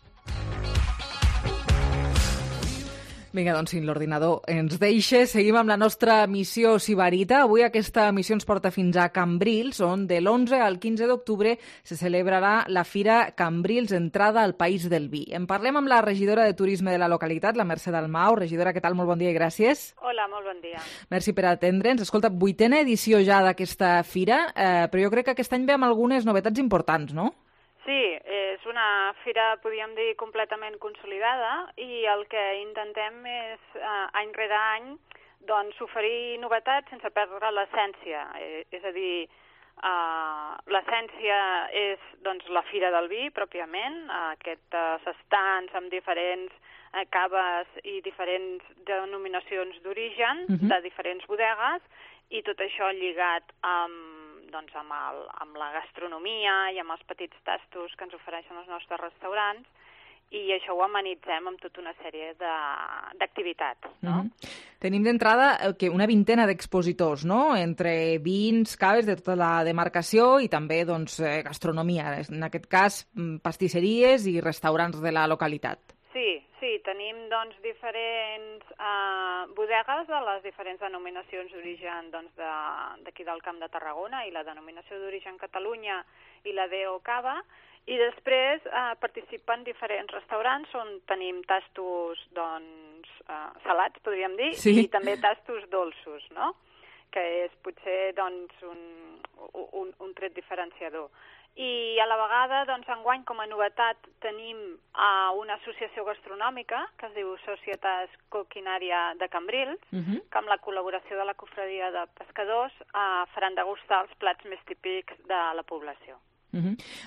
Speaker 3: Vinga, doncs, si l'ordinador ens deixa, seguim amb la nostra missió Sibarita. Avui aquesta missió ens porta fins a Cambrils, on de l'11 al 15 d'octubre se celebrarà la Fira Cambrils Entrada al País del Vi. En parlem amb la regidora de Turisme de la localitat, la Mercè Dalmau. Regidora, què tal? Molt bon dia i gràcies.
Speaker 17: Hola, molt bon dia.
Speaker 3: Merci per atendre'ns. Escolta, 8a edició ja d'aquesta fira, però jo crec que aquest any ve amb algunes novetats importants, no?
Speaker 17: Sí, és una fira, podríem dir, completament consolidada i el que intentem és, any rere any, doncs, oferir novetats sense perdre l'essència. És a dir, l'essència és doncs, la Fira del Vi, pròpiament, aquests estants amb diferents caves i diferents denominacions d'origen de diferents bodegues, i tot això lligat amb la gastronomia i amb els petits tastos que ens ofereixen els nostres restaurants, i això ho amenitzem amb tota una sèrie d'activitats. No?
Speaker 3: Tenim d'entrada una vintena d'expositors, no? Entre vins, caves de tota la demarcació i també gastronomia, en aquest cas pastisseries i restaurants de la localitat.
Speaker 17: Sí, tenim diferents bodegues de les diferents denominacions d'origen d'aquí del Camp de Tarragona i la denominació d'origen Catalunya i la DO Cava, i després participen diferents restaurants on tenim tastos salats, podríem dir, i també tastos dolços, no? que és potser doncs, un tret diferenciador. I a la vegada, doncs, enguany, com a novetat, tenim una associació gastronòmica que es diu Societas Coquinària de Cambrils, que amb la col·laboració de la Cofradia de Pescadors faran degustar els plats més típics de la població.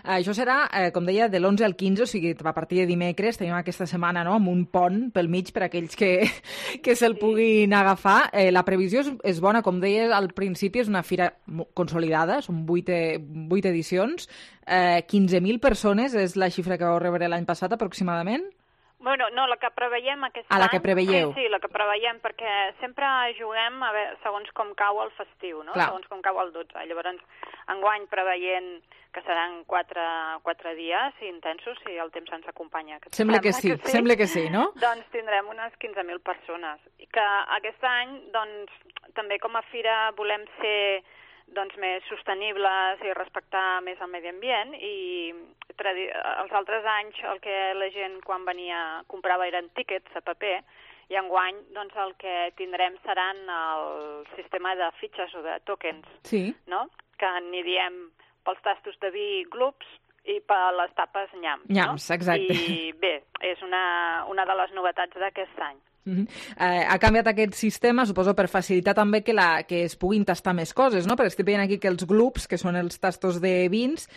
Speaker 3: Això serà, com deia, de l'11 al 15, o sigui, a partir de dimecres tenim aquesta setmana, no?, amb un pont pel mig per a aquells que se'l puguin agafar. La previsió és bona, com deia al principi, és una fira consolidada, són 8 edicions, 15.000 persones és la xifra que vau rebre l'any passat aproximadament?
Speaker 17: Bueno, no, la que preveiem aquest any...
Speaker 3: la que preveieu.
Speaker 17: Sí, la que preveiem, perquè sempre juguem a veure, segons com cau el festiu, no?
Speaker 3: Clar.
Speaker 17: Segons com cau el 12. Llavors, enguany preveient que seran 4 dies intensos, si el temps ens acompanya.
Speaker 3: Sembla que sí, no?
Speaker 17: Doncs tindrem unes 15.000 persones. I que aquest any, doncs, també com a fira volem ser més sostenibles i respectar més el medi ambient, i els altres anys el que la gent quan venia comprava eren tíquets a paper, i enguany doncs, el que tindrem seran el sistema de fitxes o de tokens, no? Que n'hi diem pels tastos de vi glups i per les tapes nyams.
Speaker 3: Nyams, no? Exacte.
Speaker 17: I bé, és una de les novetats d'aquest any.
Speaker 3: Ha canviat aquest sistema, suposo, per facilitar també que es puguin tastar més coses, no? Perquè estic veient aquí que els glups, que són els tastos de vins,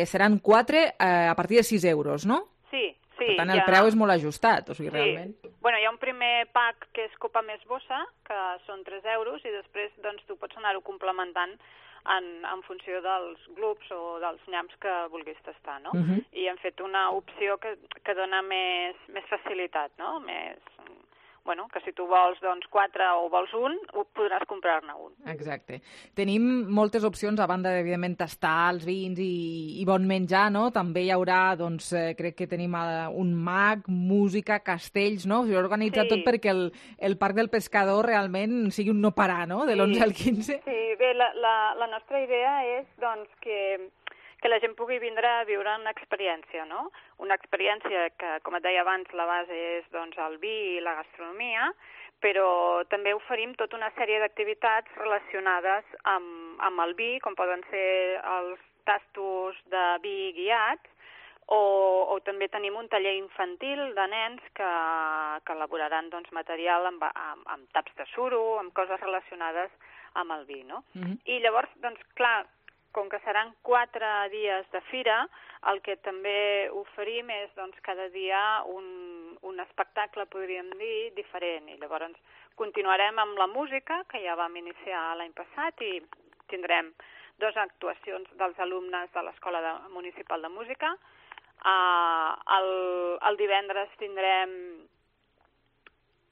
Speaker 3: seran 4 a partir de 6 euros, no?
Speaker 17: Sí.
Speaker 3: Per tant, el preu és molt ajustat, o sigui, realment.
Speaker 17: Bueno, hi ha un primer pack que és copa més bossa, que són 3 euros, i després doncs, tu pots anar-ho complementant en funció dels glups o dels nyams que vulguis tastar, no? I hem fet una opció que dona més facilitat, no? Bueno, que si tu vols 4 o vols un, podràs comprar-ne un.
Speaker 3: Exacte. Tenim moltes opcions, a banda d'evidentment tastar els vins i bon menjar, no? També hi haurà, doncs, crec que tenim un mag, música, castells, no? S'ha organitzat tot perquè el Parc del Pescador realment sigui un no parar, no?, de l'11 al 15.
Speaker 17: Sí, bé, la nostra idea és, doncs, que la gent pugui vindre a viure una experiència, no? Una experiència que, com et deia abans, la base és doncs, el vi i la gastronomia, però també oferim tota una sèrie d'activitats relacionades amb el vi, com poden ser els tastos de vi guiats, o també tenim un taller infantil de nens que elaboraran doncs, material amb taps de suro, amb coses relacionades amb el vi, no? I llavors, doncs, clar, com que seran 4 dies de fira, el que també oferim és doncs, cada dia un espectacle, podríem dir, diferent. I llavors continuarem amb la música, que ja vam iniciar l'any passat, i tindrem 2 actuacions dels alumnes de l'Escola Municipal de Música. El divendres tindrem...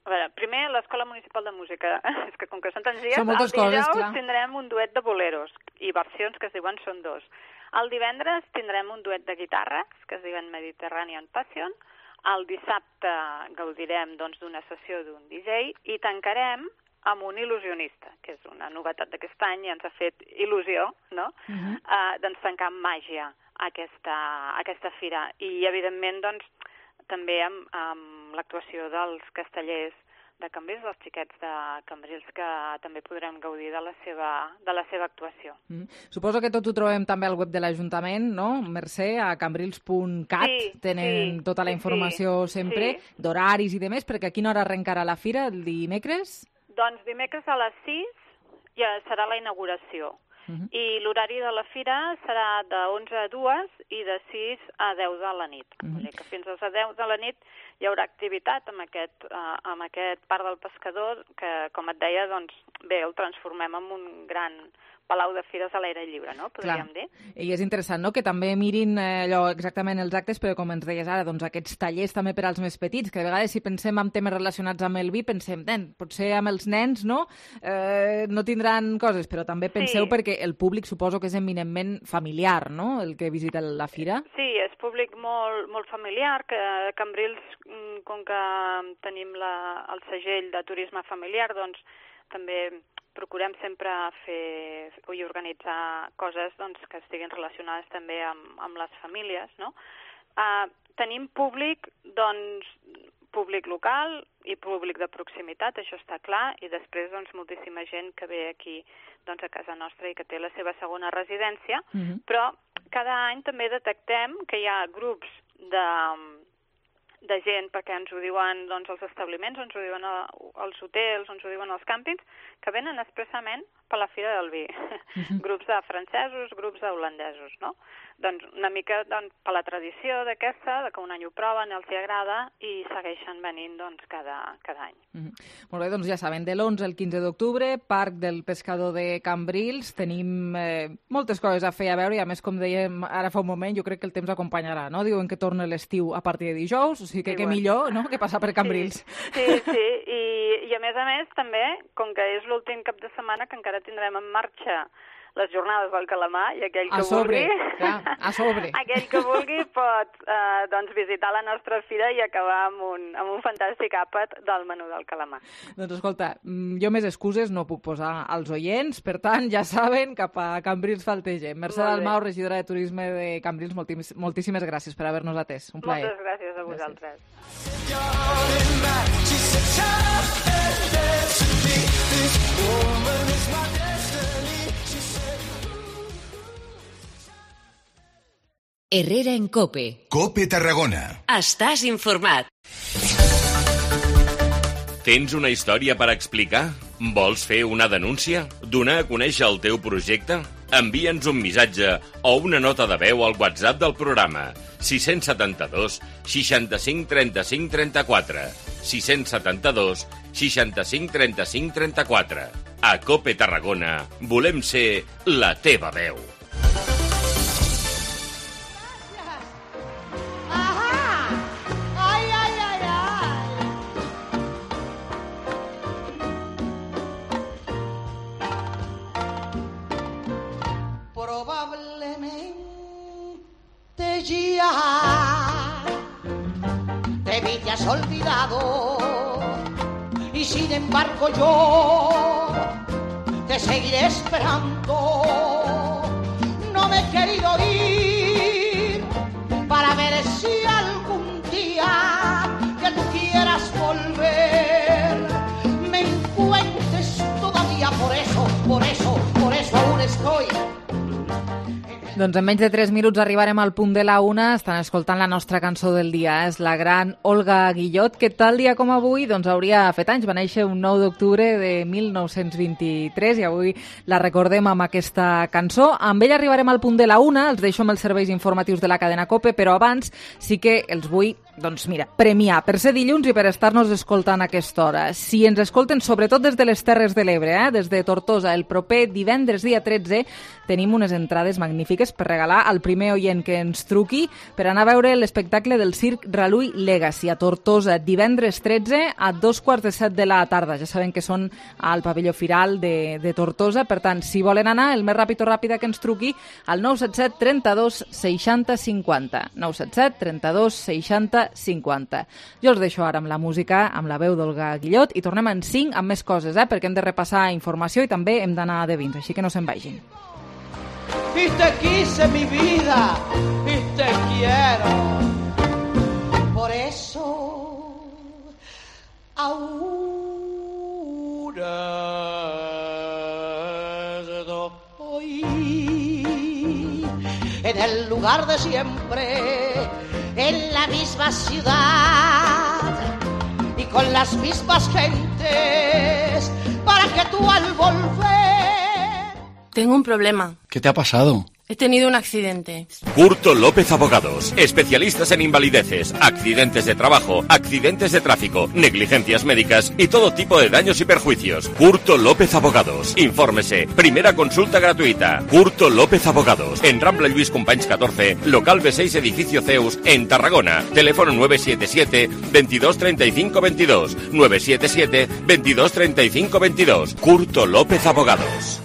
Speaker 17: A veure, primer, l'Escola Municipal de Música, és que com que són tants dies, el dijous tindrem un duet de boleros, i versions que es diuen Són dos. El divendres tindrem un duet de guitarres, que es diuen Mediterranean Passion. El dissabte gaudirem d'una sessió d'un DJ, i tancarem amb un il·lusionista, que és una novetat d'aquest any i ens ha fet il·lusió, no? Doncs tancar amb màgia aquesta fira. I, evidentment, doncs, també amb l'actuació dels castellers de Cambrils, dels xiquets de Cambrils, que també podrem gaudir de la seva actuació.
Speaker 3: Suposo que tot ho trobem també al web de l'Ajuntament, no? Mercè, a cambrils.cat, tenen tota la informació sempre, d'horaris i demés, perquè a quina hora arrencarà la fira, el dimecres?
Speaker 17: Doncs dimecres a les 6 ja serà la inauguració. I l'horari de la fira serà de 11 a 2 i de 6 a 10 de la nit. Que fins a 10 de la nit hi haurà activitat amb aquest Parc del Pescador, que, com et deia, doncs, bé, el transformem en un gran palau de fires a l'aire lliure, no? Podríem dir.
Speaker 3: I és interessant, no?, que també mirin allò exactament els actes, però com ens deies ara, doncs aquests tallers també per als més petits, que de vegades si pensem en temes relacionats amb el vi, pensem, potser amb els nens, no?, no tindran coses, però també penseu perquè el públic suposo que és eminentment familiar, no?, el que visita la fira.
Speaker 17: Sí, és públic molt, molt familiar, que Cambrils, com que tenim el segell de turisme familiar, doncs també procurem sempre fer i organitzar coses doncs, que estiguin relacionades també amb les famílies, no? Tenim públic local, i públic de proximitat, això està clar, i després doncs, moltíssima gent que ve aquí doncs, a casa nostra i que té la seva segona residència, però cada any també detectem que hi ha grups de gent, perquè ens ho diuen doncs, els establiments, ens ho diuen els hotels, ens ho diuen els càmpings, que venen expressament per la Fira del Vi. Grups de francesos, grups d'holandesos, no? Doncs una mica per la tradició d'aquesta, que un any ho proven, els hi agrada i segueixen venint doncs, cada any.
Speaker 3: Molt bé, doncs ja saben, de l'11 al 15 d'octubre, Parc del Pescador de Cambrils, tenim moltes coses a fer a veure i a més, com dèiem ara fa un moment, jo crec que el temps acompanyarà, no? Diuen que torna l'estiu a partir de dijous, o sigui que què millor, no?, que passar per Cambrils.
Speaker 17: Sí, i a més, també, com que és l'últim cap de setmana que encara tindrem en marxa les jornades del calamar, i aquell que vulgui...
Speaker 3: A sobre.
Speaker 17: Aquell que vulgui pot visitar la nostra fira i acabar amb un fantàstic àpat del menú del calamar.
Speaker 3: Doncs escolta, jo més excuses no puc posar als oients, per tant, ja saben, cap a Cambrils faltegem. Mercè Dalmau, regidora de Turisme de Cambrils, moltíssimes gràcies per haver-nos atès. Un plaer.
Speaker 17: Moltes gràcies a vosaltres.
Speaker 2: Herrera en COPE.
Speaker 1: COPE Tarragona.
Speaker 2: Estàs informat.
Speaker 10: Tens una història per explicar? Vols fer una denúncia? Donar a conèixer el teu projecte? Envia'ns un missatge o una nota de veu al WhatsApp del programa 672 65 35 34 672 65 35 34. A COPE Tarragona volem ser la teva veu.
Speaker 4: Ya te vi, te has olvidado y sin embargo yo te seguiré esperando. No me he querido ir para ver si algún día que tú quieras volver me encuentres todavía. Por eso aún estoy.
Speaker 3: Doncs en menys de 3 minuts arribarem al punt de la 1. Estan escoltant la nostra cançó del dia. És la gran Olga Guillot, que tal dia com avui doncs hauria fet anys. Va néixer un 9 d'octubre de 1923 i avui la recordem amb aquesta cançó. Amb ella arribarem al punt de la 1. Els deixo amb els serveis informatius de la cadena COPE, però abans sí que els vull premiar per ser dilluns i per estar-nos escoltant a aquesta hora. Si ens escolten sobretot des de les Terres de l'Ebre, des de Tortosa, el proper divendres dia 13 tenim unes entrades magnífiques per regalar al primer oient que ens truqui per anar a veure l'espectacle del Circ Ralui Legacy a Tortosa, divendres 13 a 2:15 de la tarda. Ja saben que són al pavelló Firal de Tortosa, per tant, si volen anar, el més ràpid o ràpida que ens truqui al 977 32 60 50. 977 32 60 50. Jo els deixo ara amb la música, amb la veu d'Olga Guillot, i tornem en 5 amb més coses, perquè hem de repassar informació i també hem d'anar de vins, així que no se'n vagin.
Speaker 4: Y te quise mi vida y te quiero, por eso ahora estoy en el lugar de siempre, en la misma ciudad y con las mismas gentes, para que tú al volver...
Speaker 18: Tengo un problema.
Speaker 19: ¿Qué te ha pasado?
Speaker 18: He tenido un accidente.
Speaker 10: Curto López Abogados, especialistas en invalideces, accidentes de trabajo, accidentes de tráfico, negligencias médicas y todo tipo de daños y perjuicios. Curto López Abogados. Infórmese. Primera consulta gratuita. Curto López Abogados. En Rambla Lluís Companys 14, local B6, edificio Zeus, en Tarragona. Teléfono 977 22 35 22. 977 22 35 22. Curto López Abogados.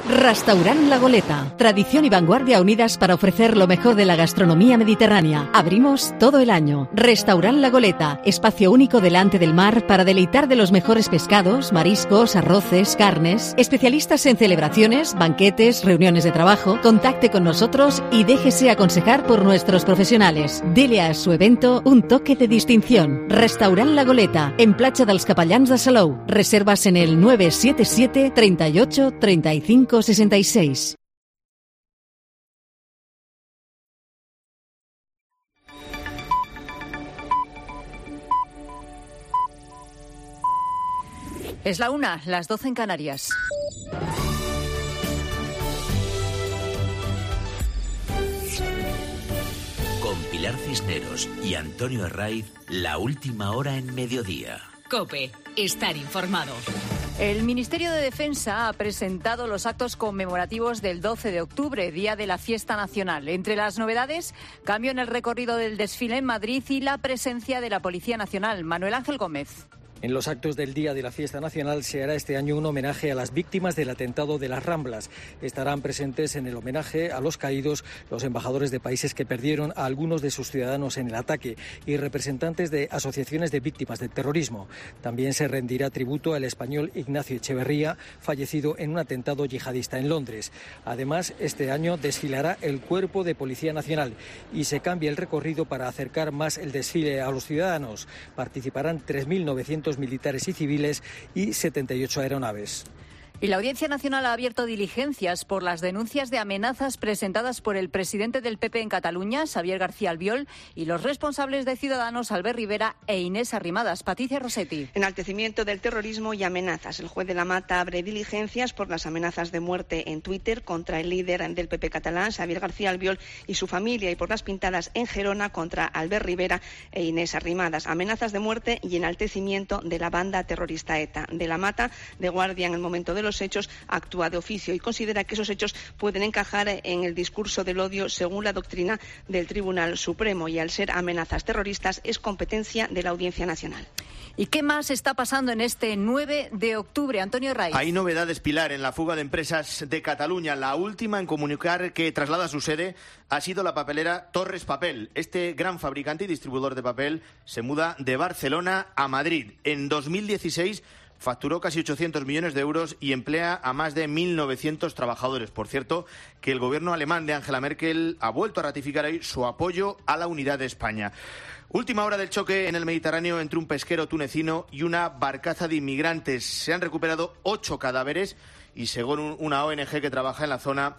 Speaker 9: Restaurant La Goleta. Tradición y vanguardia unidas para ofrecer lo mejor de la gastronomía mediterránea. Abrimos todo el año. Restaurant La Goleta. Espacio único delante del mar para deleitar de los mejores pescados, mariscos, arroces, carnes. Especialistas en celebraciones, banquetes, reuniones de trabajo. Contacte con nosotros y déjese aconsejar por nuestros profesionales. Dele a su evento un toque de distinción. Restaurant La Goleta. En Platja dels Capellans de Salou. Reservas en el 977 38 35 66.
Speaker 19: Es la 1, las 12 en Canarias.
Speaker 20: Con Pilar Cisneros y Antonio Herraiz, la última hora en mediodía.
Speaker 2: COPE, estar informado.
Speaker 19: El Ministerio de Defensa ha presentado los actos conmemorativos del 12 de octubre, día de la fiesta nacional. Entre las novedades, cambio en el recorrido del desfile en Madrid y la presencia de la Policía Nacional. Manuel Ángel Gómez.
Speaker 21: En los actos del Día de la Fiesta Nacional se hará este año un homenaje a las víctimas del atentado de las Ramblas. Estarán presentes en el homenaje a los caídos los embajadores de países que perdieron a algunos de sus ciudadanos en el ataque y representantes de asociaciones de víctimas del terrorismo. También se rendirá tributo al español Ignacio Echeverría, fallecido en un atentado yihadista en Londres. Además, este año desfilará el Cuerpo de Policía Nacional y se cambia el recorrido para acercar más el desfile a los ciudadanos. Participarán 3.900 militares y civiles y 78 aeronaves.
Speaker 19: Y la Audiencia Nacional ha abierto diligencias por las denuncias de amenazas presentadas por el presidente del PP en Cataluña, Xavier García Albiol, y los responsables de Ciudadanos, Albert Rivera e Inés Arrimadas. Patricia Rossetti.
Speaker 22: Enaltecimiento del terrorismo y amenazas. El juez de la Mata abre diligencias por las amenazas de muerte en Twitter contra el líder del PP catalán, Xavier García Albiol, y su familia, y por las pintadas en Gerona contra Albert Rivera e Inés Arrimadas. Amenazas de muerte y enaltecimiento de la banda terrorista ETA. De la Mata, de guardia en el momento de los hechos, actúa de oficio y considera que esos hechos pueden encajar en el discurso del odio según la doctrina del Tribunal Supremo, y al ser amenazas terroristas es competencia de la Audiencia Nacional.
Speaker 19: ¿Y qué más está pasando en este 9 de octubre? Antonio Raiz.
Speaker 23: Hay novedades, Pilar, en la fuga de empresas de Cataluña. La última en comunicar que traslada su sede ha sido la papelera Torres Papel. Este gran fabricante y distribuidor de papel se muda de Barcelona a Madrid. En 2016 facturó casi 800 millones de euros y emplea a más de 1.900 trabajadores. Por cierto, que el gobierno alemán de Angela Merkel ha vuelto a ratificar hoy su apoyo a la unidad de España. Última hora del choque en el Mediterráneo entre un pesquero tunecino y una barcaza de inmigrantes. Se han recuperado 8 cadáveres y, según una ONG que trabaja en la zona,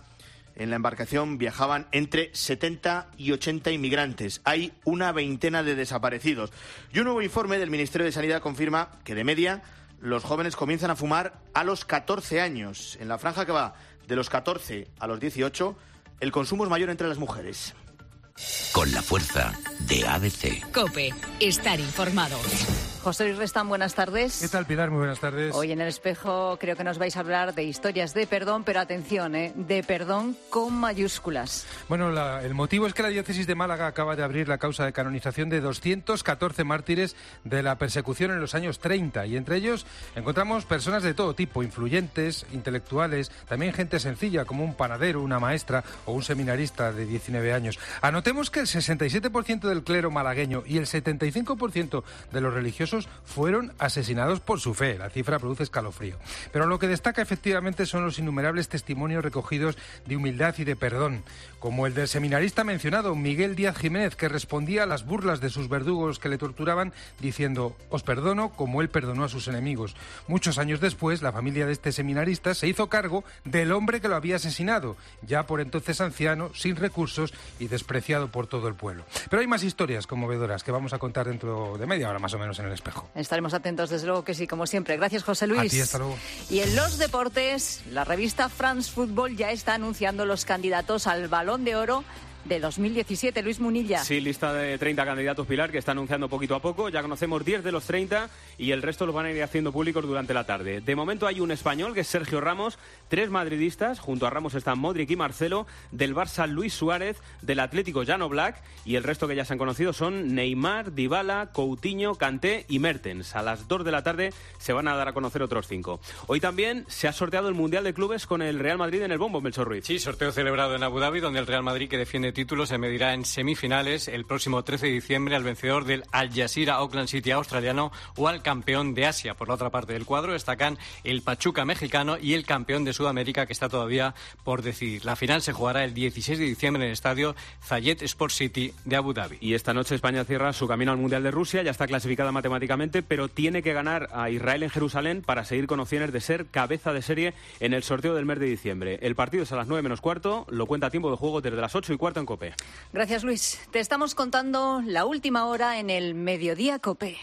Speaker 23: en la embarcación viajaban entre 70 y 80 inmigrantes. Hay una veintena de desaparecidos. Y un nuevo informe del Ministerio de Sanidad confirma que, de media, los jóvenes comienzan a fumar a los 14 años. En la franja que va de los 14 a los 18, el consumo es mayor entre las mujeres.
Speaker 20: Con la fuerza de ABC.
Speaker 2: COPE, estar informado.
Speaker 19: José Luis Restán, buenas tardes.
Speaker 24: ¿Qué tal, Pilar? Muy buenas tardes.
Speaker 19: Hoy en El Espejo creo que nos vais a hablar de historias de perdón, pero atención, de perdón con mayúsculas.
Speaker 24: Bueno, el motivo es que la diócesis de Málaga acaba de abrir la causa de canonización de 214 mártires de la persecución en los años 30, y entre ellos encontramos personas de todo tipo, influyentes, intelectuales, también gente sencilla como un panadero, una maestra o un seminarista de 19 años. Anotemos que el 67% del clero malagueño y el 75% de los religiosos fueron asesinados por su fe. La cifra produce escalofrío. Pero lo que destaca efectivamente son los innumerables testimonios recogidos de humildad y de perdón, como el del seminarista mencionado, Miguel Díaz Jiménez, que respondía a las burlas de sus verdugos que le torturaban diciendo: os perdono como él perdonó a sus enemigos. Muchos años después, la familia de este seminarista se hizo cargo del hombre que lo había asesinado, ya por entonces anciano, sin recursos y despreciado por todo el pueblo. Pero hay más historias conmovedoras que vamos a contar dentro de media hora más o menos en El Espejo.
Speaker 19: Estaremos atentos, desde luego que sí, como siempre. Gracias, José Luis.
Speaker 24: A ti, hasta luego.
Speaker 19: Y en los deportes, la revista France Football ya está anunciando los candidatos al Balón de Oro de 2017. Luis Munilla.
Speaker 5: Sí, lista de 30 candidatos, Pilar, que está anunciando poquito a poco. Ya conocemos 10 de los 30 y el resto los van a ir haciendo públicos durante la tarde. De momento hay un español, que es Sergio Ramos, 3 madridistas, junto a Ramos están Modric y Marcelo, del Barça Luis Suárez, del Atlético Jan Oblak, y el resto que ya se han conocido son Neymar, Dybala, Coutinho, Kanté y Mertens. A las 2 de la tarde se van a dar a conocer otros 5. Hoy también se ha sorteado el Mundial de Clubes con el Real Madrid en el bombo, Melchor Ruiz.
Speaker 6: Sí, sorteo celebrado en Abu Dhabi, donde el Real Madrid, que defiende títulos, se medirá en semifinales el próximo 13 de diciembre al vencedor del Al Jazeera Auckland City australiano o al campeón de Asia. Por la otra parte del cuadro destacan el Pachuca mexicano y el campeón de Sudamérica, que está todavía por decidir. La final se jugará el 16 de diciembre en el estadio Zayed Sport City de Abu Dhabi.
Speaker 5: Y esta noche España cierra su camino al Mundial de Rusia, ya está clasificada matemáticamente, pero tiene que ganar a Israel en Jerusalén para seguir con opciones de ser cabeza de serie en el sorteo del mes de diciembre. El partido es a las 9 menos cuarto, lo cuenta a tiempo de juego desde las 8 y cuarto en COPE.
Speaker 19: Gracias, Luis. Te estamos contando la última hora en el Mediodía COPE.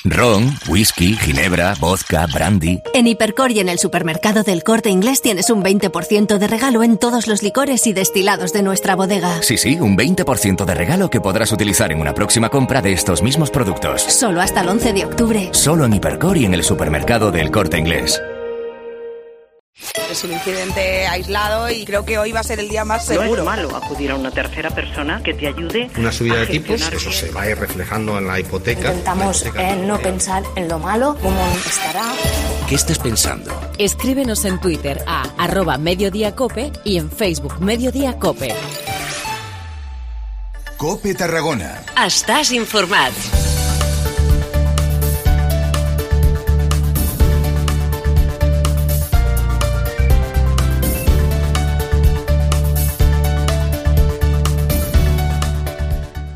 Speaker 7: Ron, whisky, ginebra, vodka, brandy.
Speaker 15: En Hipercor y en el supermercado del Corte Inglés tienes un 20% de regalo en todos los licores y destilados de nuestra bodega.
Speaker 7: Sí, un 20% de regalo que podrás utilizar en una próxima compra de estos mismos productos.
Speaker 15: Solo hasta el 11 de octubre.
Speaker 7: Solo en Hipercor y en el supermercado del Corte Inglés.
Speaker 8: Es un incidente aislado y creo que hoy va a ser el día más seguro.
Speaker 25: No es malo acudir a una tercera persona que te ayude.
Speaker 26: Una subida de tipos, eso se va a ir reflejando en la hipoteca.
Speaker 27: Intentamos no pensar en lo malo, cómo estará.
Speaker 7: ¿Qué estás pensando?
Speaker 15: Escríbenos en Twitter a @mediodiacope y en Facebook Mediodía Cope.
Speaker 1: Cope Tarragona.
Speaker 15: Estàs informat.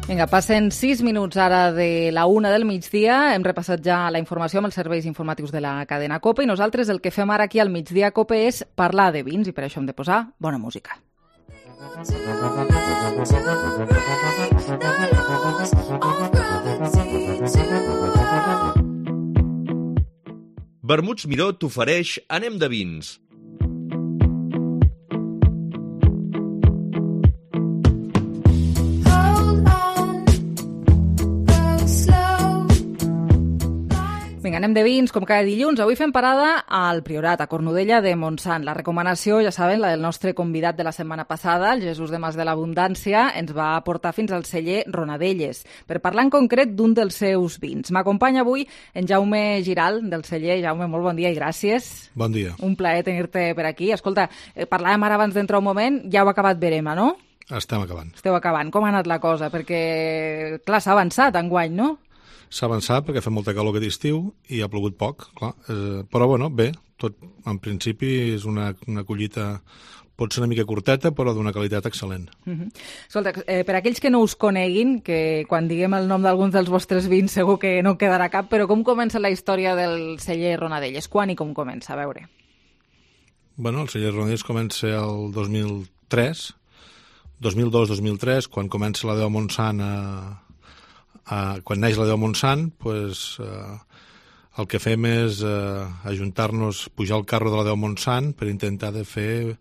Speaker 3: Vinga, passen 6 minuts ara de la 1 del migdia. Hem repassat ja la informació amb els serveis informatius de la cadena COPE i nosaltres el que fem ara aquí al Migdia COPE és parlar de vins i per això hem de posar bona música.
Speaker 28: Vermuts Miró t'ofereix Anem de vins.
Speaker 3: Vinga, anem de vins, com cada dilluns. Avui fem parada al Priorat, a Cornudella de Montsant. La recomanació, ja saben, la del nostre convidat de la setmana passada, el Jesús de Mas de l'Abundància, ens va portar fins al celler Ronadelles, per parlar en concret d'un dels seus vins. M'acompanya avui en Jaume Giral, del celler. Jaume, molt bon dia i gràcies.
Speaker 29: Bon dia.
Speaker 3: Un plaer tenir-te per aquí. Escolta, parlàvem ara abans d'entrar un moment, ja heu acabat Verema, no?
Speaker 29: Estem acabant.
Speaker 3: Esteu acabant. Com ha anat la cosa? Perquè, clar, s'ha avançat enguany, no?
Speaker 29: S'ha avançat perquè fa molta calor aquest estiu i ha plogut poc, clar. Però, bueno, bé, tot en principi és una collita, pot ser una mica curteta, però d'una qualitat excel·lent.
Speaker 3: Escolta, per aquells que no us coneguin, que quan diguem el nom d'alguns dels vostres vins segur que no quedarà cap, però com comença la història del celler Ronadelles? Quan i com comença? A veure.
Speaker 29: Bueno, el celler Ronadelles comença el 2003, 2002-2003, quan comença la Déu Montsant quan neix la Déu Montsant, pues, el que fem és ajuntar-nos, pujar al carro de la Déu Montsant per intentar de fer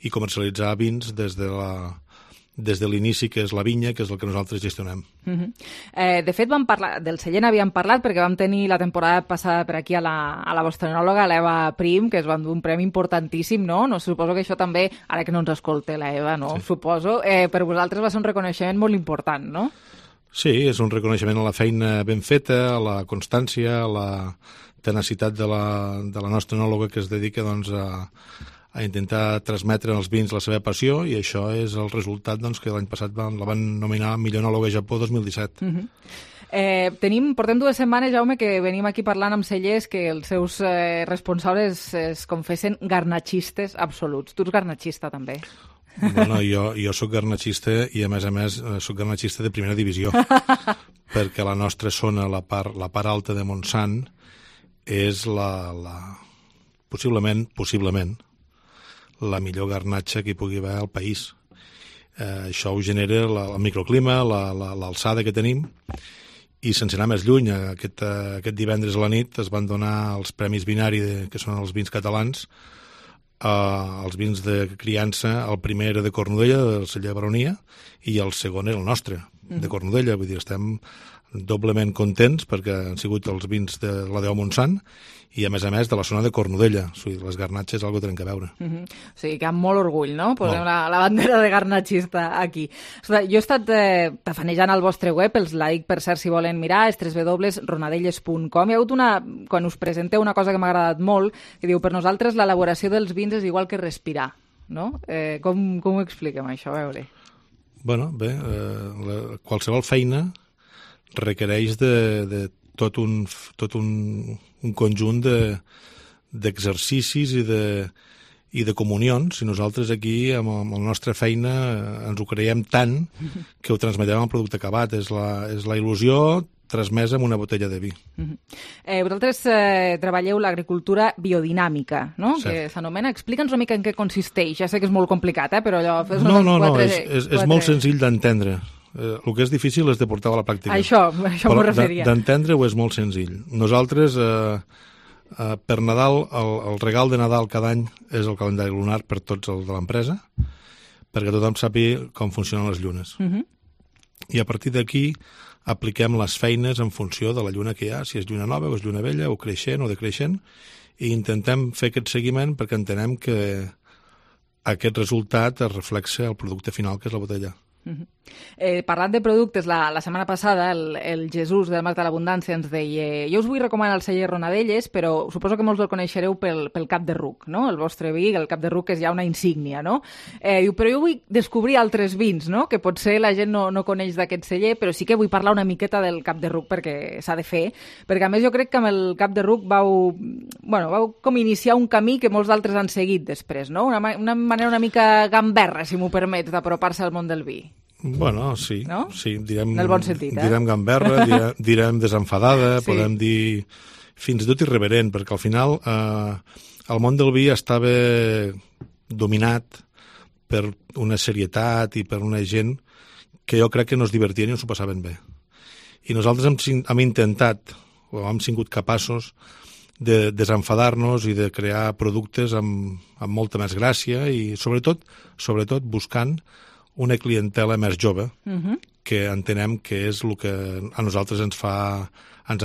Speaker 29: i comercialitzar vins des de l'inici, que és la vinya, que és el que nosaltres gestionem.
Speaker 3: De fet, vam parlar, del celler n'havíem parlat perquè vam tenir la temporada passada per aquí a la vostra enòloga, l'Eva Prim, que es van dur un premi importantíssim, no? No suposo que això també, ara que no ens escolta l'Eva, no? Sí. Suposo, per vosaltres va ser un reconeixement molt important, no?
Speaker 29: Sí, és un reconeixement a la feina ben feta, a la constància, a la tenacitat de la nostra enòloga que es dedica doncs, a intentar transmetre als vins la seva passió, i això és el resultat doncs, que l'any passat la van nominar millor enòloga a Japó 2017.
Speaker 3: Portem 2 setmanes, Jaume, que venim aquí parlant amb cellers que els seus responsables es confessen garnatxistes absoluts. Tu ets garnatxista, també?
Speaker 29: Bueno, jo soc garnatxista i a més soc garnatxista de primera divisió perquè la nostra zona, la part alta de Montsant és possiblement la millor garnatxa que hi pugui haver al país. Això ho genera el microclima, l'alçada que tenim, i sense anar més lluny, aquest divendres a la nit es van donar els Premis Vinari, que són els vins catalans, els vins de criança, el primer era de Cornudella, del celler Baronia, i el segon era el nostre, de Cornudella. Vull dir, estem doblement contents perquè han sigut els vins de la Déu Montsant i, a més, de la zona de Cornudella. O sigui, les garnatxes algo tenen que veure.
Speaker 3: O sigui, que amb molt orgull, no? Posem la bandera de garnatxista aquí. Ostres, jo he estat tafanejant al vostre web, els like, per cert, si volen mirar, és www.ronadelles.com. Hi ha hagut quan us presenteu una cosa que m'ha agradat molt, que diu, per nosaltres l'elaboració dels vins és igual que respirar, no? Com ho expliquem, això? A veure.
Speaker 29: Bueno, bé, qualsevol feina requereix de tot un conjunt d'exercicis i de comunions. I nosaltres aquí, amb la nostra feina, ens ho creiem tant que ho transmetem al producte acabat. És la il·lusió transmesa amb una botella de vi.
Speaker 3: Vosaltres treballeu l'agricultura biodinàmica, no? Que s'anomena. Explica'ns una mica en què consisteix. Ja sé que és molt complicat, però allò...
Speaker 29: No, és molt senzill d'entendre. El que és difícil és de portar a la pràctica.
Speaker 3: Això m'ho referia.
Speaker 29: D'entendre-ho és molt senzill. Nosaltres, per Nadal, el regal de Nadal cada any és el calendari lunar per tots els de l'empresa, perquè tothom sàpiga com funcionen les llunes. I a partir d'aquí apliquem les feines en funció de la lluna que hi ha, si és lluna nova o és lluna vella, o creixent o decreixent, i intentem fer aquest seguiment perquè entenem que aquest resultat es reflexa al producte final, que és la botella.
Speaker 3: Parlant de productes, la setmana passada el Jesús del Marc de l'Abundància ens deia: jo us vull recomanar el celler Ronadelles, però suposo que molts el coneixereu pel Cap de Ruc, no? El vostre vi, el Cap de Ruc, és ja una insígnia, no? Diu, però jo vull descobrir altres vins, no? Que potser la gent no coneix d'aquest celler, però sí que vull parlar una miqueta del Cap de Ruc perquè s'ha de fer, perquè a més jo crec que amb el Cap de Ruc vau com iniciar un camí que molts d'altres han seguit després, no? Una manera una mica gamberra, si m'ho permets, d'apropar-se al món del vi.
Speaker 29: Bueno, sí, no? Sí, direm,
Speaker 3: en el bon sentit,
Speaker 29: direm gamberra, direm desenfadada, sí. Podem dir fins i tot irreverent, perquè al final el món del vi estava dominat per una serietat i per una gent que jo crec que no es divertien i no s'ho passaven bé. I nosaltres hem intentat, o hem sigut capaços de desenfadar-nos i de crear productes amb molta més gràcia i sobretot buscant una clientela més jove, que entenem que és el que a nosaltres ens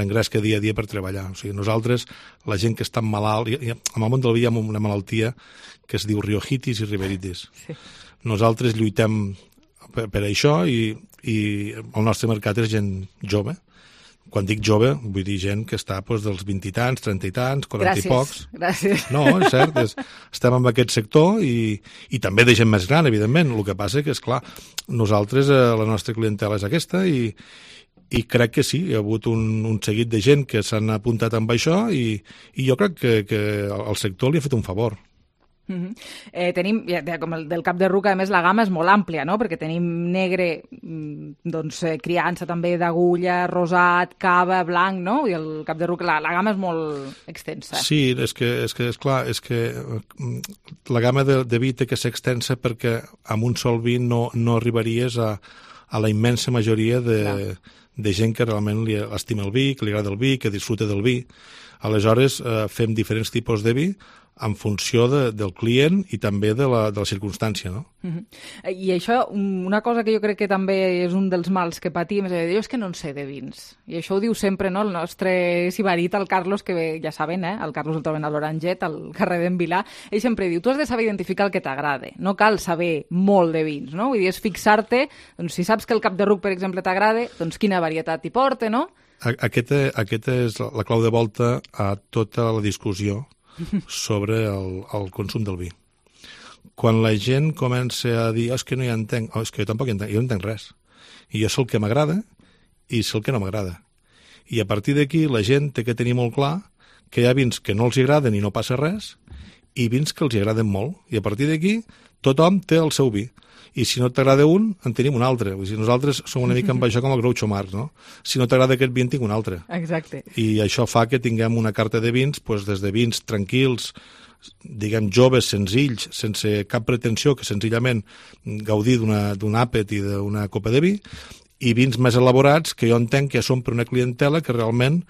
Speaker 29: engresca dia a dia per treballar. O sigui, nosaltres, la gent que està malalt, en el món del vi hi ha una malaltia que es diu riojitis i riberitis. Sí. Nosaltres lluitem per això i el nostre mercat és gent jove. Quan dic jove, vull dir gent que està dels 20 i tants, 30 i tants, 40 i pocs.
Speaker 3: Gràcies.
Speaker 29: No, és cert, estem en aquest sector i també de gent més gran, evidentment. El que passa que, esclar, nosaltres, la nostra clientela és aquesta i crec que sí, hi ha hagut un seguit de gent que s'han apuntat amb això i jo crec que el sector li ha fet un favor.
Speaker 3: Tenim, com el del Cap de Ruc, a més la gamma és molt àmplia, no? Perquè tenim negre, criança també d'agulla, rosat, cava, blanc, no? I el Cap de Ruc, la gamma és molt extensa.
Speaker 29: Sí, és clar, la gamma de vi té que ser extensa perquè amb un sol vi no arribaries a la immensa majoria de gent que realment li estima el vi, que li agrada el vi, que disfruta del vi. Aleshores, fem diferents tipus de vi en funció del client i també de la circumstància, no?
Speaker 3: I això, una cosa que jo crec que també és un dels mals que patim, és que no en sé de vins. I això ho diu sempre, no?, el nostre sibarit, el Carlos, que ja saben, el Carlos el troben a l'Oranget, al carrer d'en Vilà, ell sempre diu, tu has de saber identificar el que t'agrada, no cal saber molt de vins, no? Vull dir, és fixar-te, doncs si saps que el Cap de Ruc, per exemple, t'agrada, doncs quina varietat hi porta, no?
Speaker 29: Aquesta és la clau de volta a tota la discussió sobre el consum del vi. Quan la gent comença a dir és que no hi entenc, és que jo tampoc hi entenc, jo no entenc res. I jo sé el que m'agrada i sé el que no m'agrada. I a partir d'aquí la gent té que tenir molt clar que hi ha vins que no els agraden i no passa res i vins que els agraden molt. I a partir d'aquí tothom té el seu vi. I si no t'agrada un, en tenim un altre. Vull dir, nosaltres som una mica amb això com el Groucho Marx, no? Si no t'agrada aquest vi, en tinc un altre.
Speaker 3: Exacte.
Speaker 29: I això fa que tinguem una carta de vins, des de vins tranquils, diguem, joves, senzills, sense cap pretensió, que senzillament gaudir d'un àpet i d'una copa de vi, i vins més elaborats, que jo entenc que són per una clientela que realment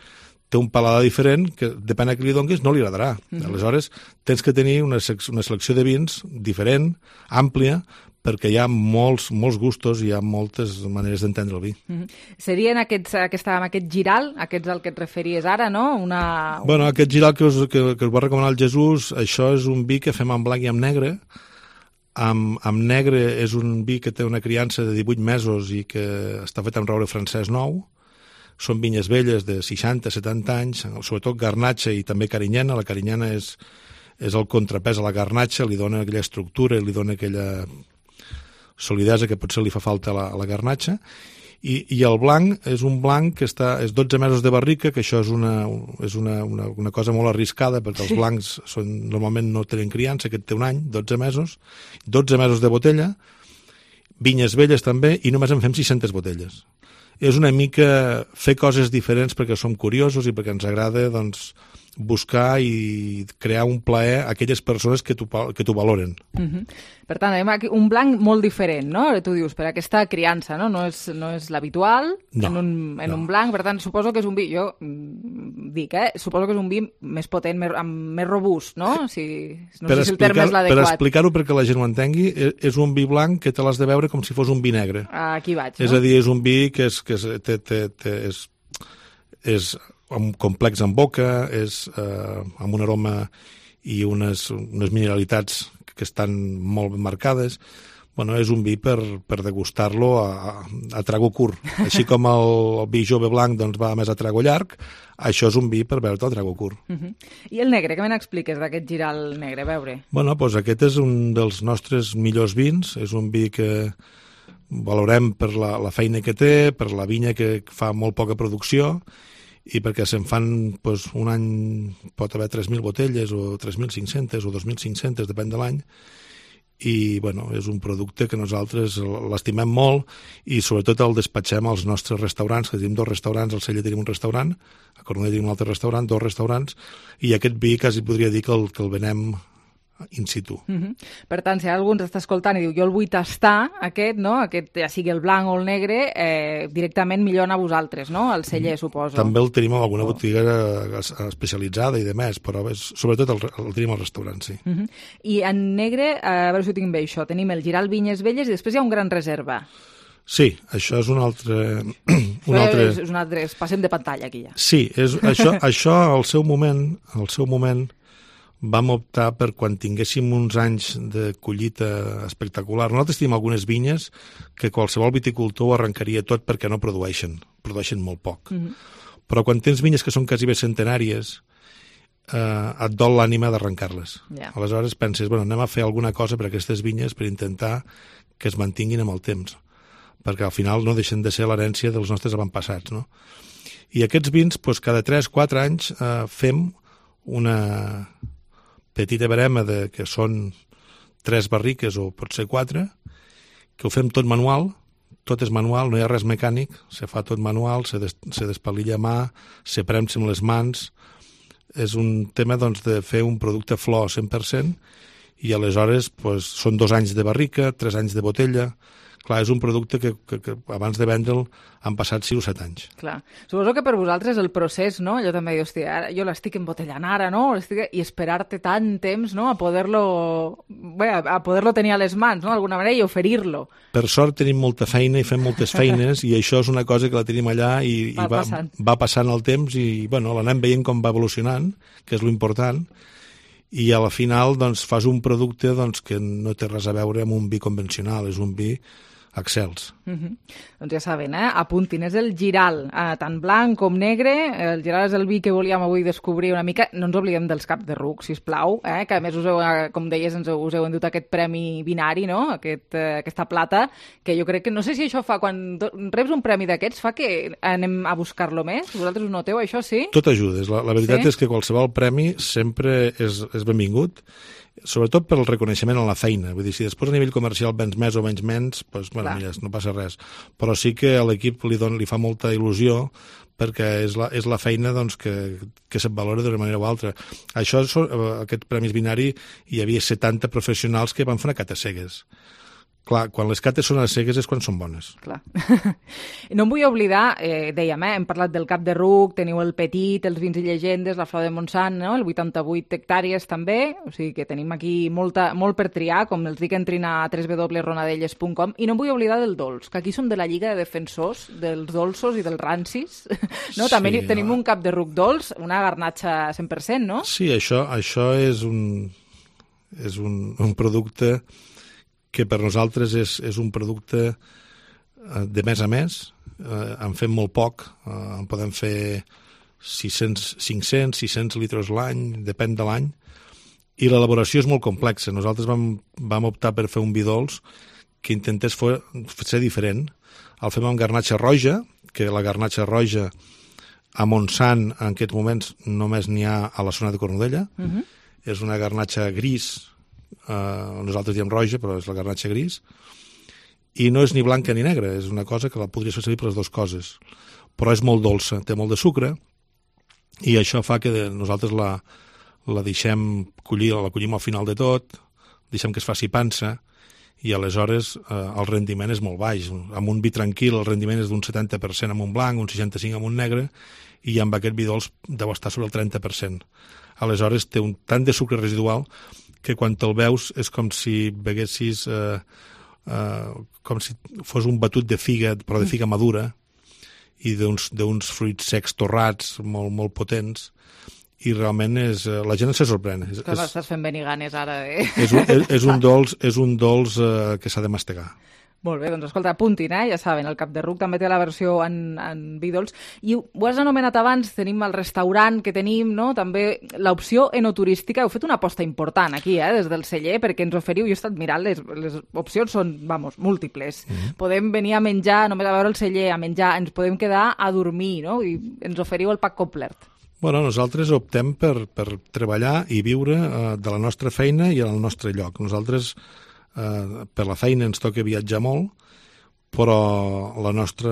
Speaker 29: té un paladar diferent que, depèn a qui li donis, no li agradarà. Aleshores, tens que tenir una selecció de vins diferent, àmplia, perquè hi ha molts gustos i hi ha moltes maneres d'entendre el vi.
Speaker 3: Serien amb aquest giral, aquests al que et referies ara, no?
Speaker 29: Bueno, aquest giral que us va recomanar el Jesús, això és un vi que fem en blanc i en negre. Amb negre és un vi que té una criança de 18 mesos i que està fet amb roure francès nou. Són vinyes velles de 60-70 anys, sobretot garnatxa i també carinyena. La carinyena és el contrapès a la garnatxa, li dona aquella estructura, li dona aquella solidesa que potser li fa falta a la garnatxa, i el blanc és un blanc que és 12 mesos de barrica, que això és una cosa molt arriscada, perquè els blancs normalment no tenen criança, aquest té un any, 12 mesos de botella, vinyes velles també, i només en fem 600 botelles. És una mica fer coses diferents perquè som curiosos i perquè ens agrada, doncs, buscar i crear un plaer a aquelles persones que t'ho valoren.
Speaker 3: Per tant, aquí un blanc molt diferent, no? Tu dius, per aquesta criança, no? No és l'habitual en un blanc, per tant, suposo que és un vi, jo dic, suposo que és un vi més potent, més robust, no? No sé si el terme és l'adequat.
Speaker 29: Per explicar-ho perquè la gent ho entengui, és un vi blanc que te l'has de veure com si fos un vi negre.
Speaker 3: Aquí vaig, no?
Speaker 29: És a dir, és un vi que és complex en boca, és amb un aroma i unes mineralitats que estan molt ben marcades. Bueno, és un vi per degustar-lo a trago curt. Així com el vi jove blanc doncs, va més a trago llarg, això és un vi per beure-te a trago curt.
Speaker 3: I el negre, què me n'expliques d'aquest giral negre? A veure.
Speaker 29: Bueno, doncs aquest és un dels nostres millors vins. És un vi que valorem per la feina que té, per la vinya que fa molt poca producció, i perquè se'n fan, doncs, un any pot haver 3.000 botelles o 3.500 o 2.500, depèn de l'any, i bueno, és un producte que nosaltres l'estimem molt i sobretot el despatxem als nostres restaurants, que tenim 2 restaurants, al Cella tenim un restaurant, a Cornellà tenim un altre restaurant, 2 restaurants, i aquest vi quasi podria dir que el venem in situ.
Speaker 3: Per tant, si algú ens està escoltant i diu jo el vull tastar, aquest, ja sigui el blanc o el negre, directament millor anar a vosaltres, no? Al celler, suposo.
Speaker 29: També el tenim en alguna botiga especialitzada i de més, però sobretot el tenim al restaurant, sí.
Speaker 3: I en negre, a veure si ho tinc bé això, tenim el giral Vinyes Velles i després hi ha un Gran Reserva.
Speaker 29: Sí, això és un altre...
Speaker 3: És un altre... Passem de pantalla aquí ja.
Speaker 29: Sí, això al seu moment vam optar per quan tinguéssim uns anys de collita espectacular. Nosaltres tenim algunes vinyes que qualsevol viticultor ho arrencaria tot perquè no produeixen molt poc. Però quan tens vinyes que són quasi bé centenàries, et dol l'ànima d'arrencar-les. Aleshores penses, anem a fer alguna cosa per aquestes vinyes per intentar que es mantinguin amb el temps, perquè al final no deixen de ser l'herència dels nostres avantpassats, no? I aquests vins, cada 3-4 anys fem una petita barema que són 3 barriques o potser 4, que ho fem tot manual, tot és manual, no hi ha res mecànic, se fa tot manual, se despalilla a mà, se premsa amb les mans. És un tema de fer un producte flor 100%, i aleshores són 2 anys de barrica, 3 anys de botella. Clar, és un producte que abans de vendre'l han passat 6 o 7 anys.
Speaker 3: Clar. Suposo que per vosaltres el procés, no? Jo també dic, hòstia, jo l'estic embotellant ara, no? I esperar-te tant temps, no? A poder-lo tenir a les mans, no? D'alguna manera, i oferir-lo.
Speaker 29: Per sort tenim molta feina i fem moltes feines, i això és una cosa que la tenim allà i va passant el temps i, l'anem veient com va evolucionant, que és l'important, i a la final fas un producte que no té res a veure amb un vi convencional, és un vi excels.
Speaker 3: Doncs ja saben, apuntin, és el giral, tant blanc com negre. El giral és el vi que volíem avui descobrir una mica. No ens oblidem dels caps de ruc, sisplau, que a més com deies, us heu endut aquest premi binari, no? Aquesta plata, que jo crec que, no sé si això fa, quan reps un premi d'aquests, fa que anem a buscar-lo més? Vosaltres ho noteu, això, sí?
Speaker 29: Tot ajuda. La veritat és que qualsevol premi sempre és benvingut, sobretot pel reconeixement en la feina. Vull dir, si després a nivell comercial vens més o menys menys, mira, no passa res. Però sí que a l'equip li fa molta il·lusió perquè és la feina que se't valora d'una manera o altra. Aquest Premis Binari hi havia 70 professionals que van fer una cata cegues. clar, quan les cates són a cegues és quan són bones.
Speaker 3: Clar. No em vull oblidar, dèiem, hem parlat del Cap de Ruc, teniu el Petit, els Vins i Llegendes, la Flor de Montsant, no? El 88 hectàrees també, o sigui que tenim aquí molt per triar, com els dic, entrin a www.ronadelles.com, i no em vull oblidar del dolç, que aquí som de la Lliga de Defensors dels dolços i dels rancis, no? També tenim un Cap de Ruc dolç, una garnatxa 100%, no?
Speaker 29: Sí, això és un producte que per nosaltres és un producte de mes a mes, en fem molt poc, en podem fer 500, 600 litres l'any, depèn de l'any, i l'elaboració és molt complexa. Nosaltres vam optar per fer un vi dolç que intentés ser diferent. El fem amb garnatxa roja, que la garnatxa roja a Montsant en aquests moments només n'hi ha a la zona de Cornudella. És una garnatxa gris, nosaltres diem roja, però és la garnatxa gris, i no és ni blanca ni negra, és una cosa que la podries fer servir per les dues coses, però és molt dolça, té molt de sucre, i això fa que nosaltres la deixem collir, la collim al final de tot, deixem que es faci pansa, i aleshores el rendiment és molt baix. Amb un vi tranquil el rendiment és d'un 70% amb un blanc, un 65% amb un negre, i amb aquest vi dolç deu estar sobre el 30%. Aleshores té un tant de sucre residual que quan te'l veus és com si beguessis com si fos un batut de figa, però de figa madura, i d'uns fruits secs torrats molt, molt potents, i realment la gent se sorprèn.
Speaker 3: Estàs fent venir ganes ara.
Speaker 29: És un dolç que s'ha de mastegar.
Speaker 3: Molt bé, doncs escolta, apuntin, ja saben, el Cap de Ruc també té la versió en vi dolç. I ho has anomenat abans, tenim el restaurant que tenim, no? També l'opció enoturística. Heu fet una aposta important aquí, des del celler, perquè ens oferiu, jo he estat mirant, les opcions són, múltiples. Podem venir a menjar, només a veure el celler, a menjar, ens podem quedar a dormir, no? I ens oferiu el pack complet.
Speaker 29: Bueno, nosaltres optem per treballar i viure de la nostra feina i al nostre lloc. Nosaltres per la feina ens toca viatjar molt, però la nostra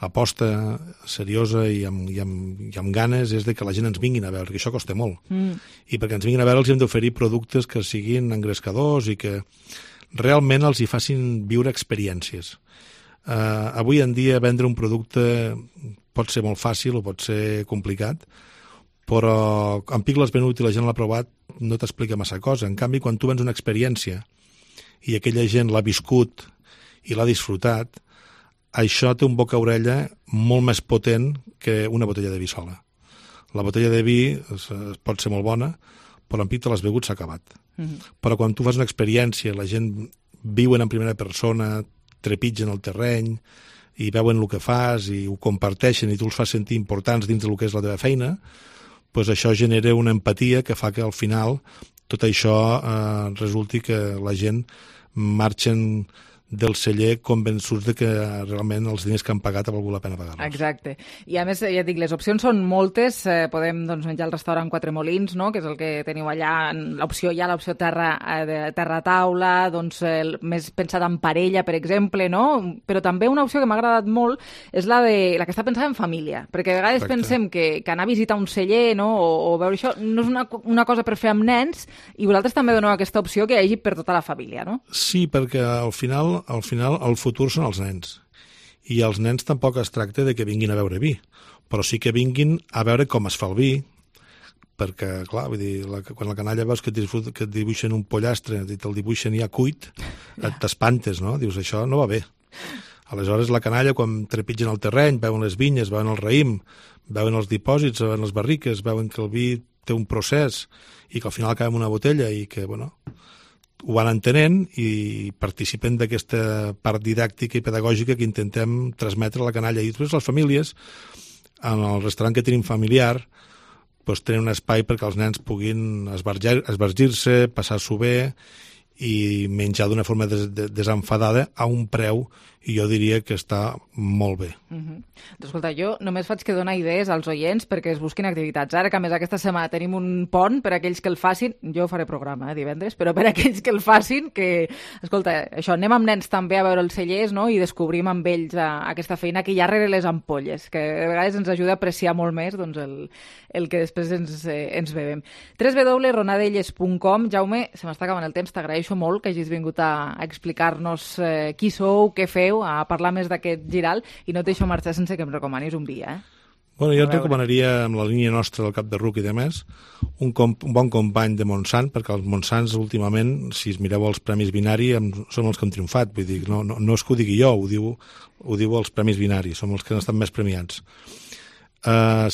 Speaker 29: aposta seriosa i amb ganes és de que la gent ens vinguin a veure, que això costa molt. I perquè ens vinguin a veure els hem d'oferir productes que siguin engrescadors i que realment els hi facin viure experiències. Avui en dia vendre un producte pot ser molt fàcil o pot ser complicat, però en pic l'has venut i la gent l'ha provat, no t'explica massa cosa. En canvi, quan tu vens una experiència i aquella gent l'ha viscut i l'ha disfrutat, això té un boca-orella molt més potent que una botella de vi sola. La botella de vi pot ser molt bona, però en pic te l'has begut, s'ha acabat. Però quan tu fas una experiència, la gent viuen en primera persona, trepitgen el terreny i veuen el que fas i ho comparteixen i tu els fas sentir importants dins del que és la teva feina, doncs això genera una empatia que fa que al final tot això resulti que la gent marxen del celler convençuts de que realment els diners que han pagat ha valgut la pena pagar-los.
Speaker 3: Exacte. I a més, ja dic, les opcions són moltes. Podem menjar al restaurant Quatre Molins, no?, que és el que teniu allà. L'opció terra taula, més pensat en parella, per exemple, no? Però també una opció que m'ha agradat molt és la que està pensada en família, perquè a vegades pensem que anar a visitar un celler, no?, o veure això no és una cosa per fer amb nens, i vosaltres també doneu aquesta opció que hi hagi per tota la família, no?
Speaker 29: Sí, perquè al final el futur són els nens, i els nens tampoc es tracta de que vinguin a beure vi, però sí que vinguin a veure com es fa el vi, perquè, clar, vull dir, quan la canalla veus que et dibuixen un pollastre i te'l dibuixen ja cuit, t'espantes, no? Dius, això no va bé. Aleshores, la canalla, quan trepitgen el terreny, veuen les vinyes, veuen el raïm, veuen els dipòsits, veuen les barriques, veuen que el vi té un procés i que al final acaba en una botella i que, bueno, ho van entenent i participen d'aquesta part didàctica i pedagògica que intentem transmetre a la canalla. I després les famílies, en el restaurant que tenim familiar, doncs tenen un espai perquè els nens puguin esbargir-se, passar-s'ho bé i menjar d'una forma desenfadada a un preu i jo diria que està molt bé.
Speaker 3: Escolta, jo només faig que donar idees als oients perquè es busquin activitats. Ara que a més aquesta setmana tenim un pont per a aquells que el facin, jo faré programa divendres, però per a aquells que el facin, que, escolta, això, anem amb nens també a veure els cellers, no?, i descobrim amb ells aquesta feina que hi ha rere les ampolles, que a vegades ens ajuda a apreciar molt més doncs, el que després ens bevem. www.ronadelles.com. Jaume, se m'està acabant el temps, t'agraeixo molt que hagis vingut a explicar-nos qui sou, què feu, a parlar més d'aquest giral, i no et deixo marxar sense que em recomanis un vi,
Speaker 29: Bueno, jo et recomanaria, amb la línia nostra del Cap de Ruc i de més, un bon company de Montsant, perquè els Montsants últimament, si es mireu els Premis Binari, són els que han triomfat. Vull dir, no és que ho digui jo, ho diu els Premis Binari, són els que han estat més premiats.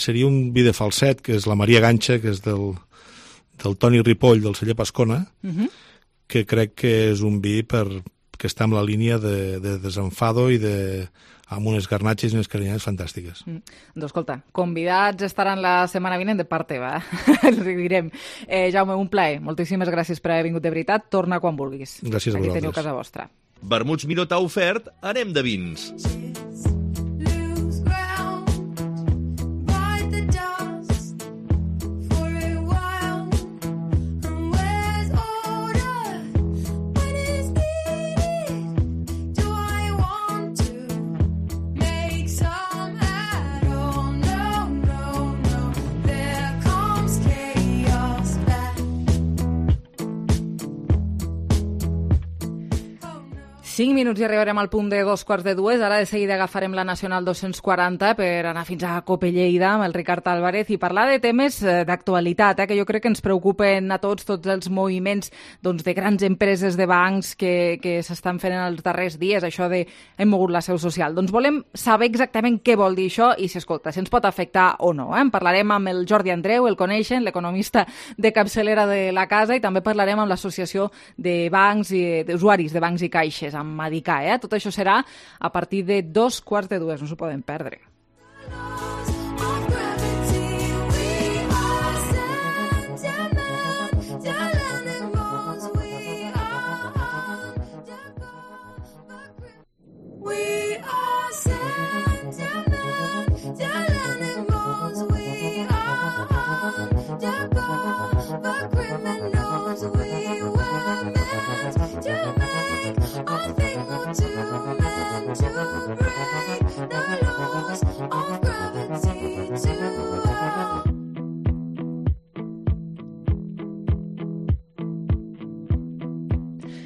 Speaker 29: Seria un vi de falset, que és la Maria Ganxa, que és del Toni Ripoll, del celler Pascona, que crec que és un vi que està en la línia de desenfado i amb unes garnatxes i unes carinyades fantàstiques.
Speaker 3: Doncs escolta, convidats estaran la setmana vinent de part teva, els direm. Jaume, un plaer. Moltíssimes gràcies per haver vingut de veritat. Torna quan vulguis.
Speaker 29: Gràcies a vosaltres.
Speaker 3: Aquí teniu casa vostra.
Speaker 28: Vermuts Minotaur ofert, anem de vins.
Speaker 3: Cinc minuts i arribarem al punt de 2:45. Ara de seguida agafarem la Nacional 240 per anar fins a Cope Lleida amb el Ricard Álvarez i parlar de temes d'actualitat, que jo crec que ens preocupen a tots els moviments de grans empreses de bancs que s'estan fent en els darrers dies, això de hem mogut la seu social. Doncs volem saber exactament què vol dir això i si ens pot afectar o no. En parlarem amb el Jordi Andreu, el coneixen, l'economista de capçalera de la casa, i també parlarem amb l'Associació de Bancs i d'Usuaris de Bancs i Caixes, amb Madicà. Tot això serà a partir de 2:45, no s'ho poden perdre.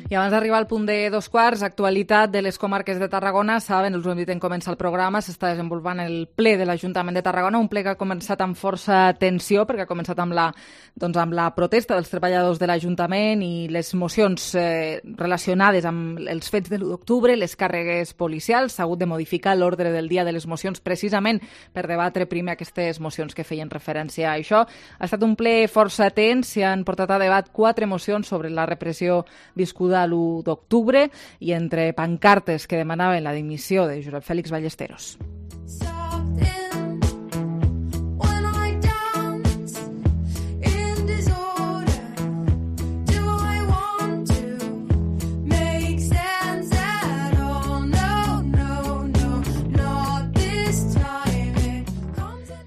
Speaker 3: I abans d'arribar al punt de 2:15, actualitat de les comarques de Tarragona. Saben, us ho hem dit en començar el programa, s'està desenvolupant el ple de l'Ajuntament de Tarragona, un ple que ha començat amb força tensió, perquè ha començat amb la protesta dels treballadors de l'Ajuntament i les mocions relacionades amb els fets de l'1 d'octubre, les càrregues policials. S'ha hagut de modificar l'ordre del dia de les mocions precisament per debatre primer aquestes mocions que feien referència a això. Ha estat un ple força tens, s'hi han portat a debat 4 mocions sobre la repressió viscuda l'1 d'octubre i entre pancartes que demanaven la dimissió de Josep Fèlix Ballesteros.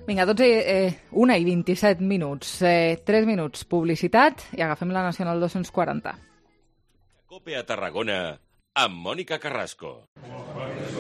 Speaker 3: Vinga, 1:27 minuts. 3 minuts publicitat i agafem la Nacional 240.
Speaker 28: Cope a Tarragona, amb Mónica Carrasco.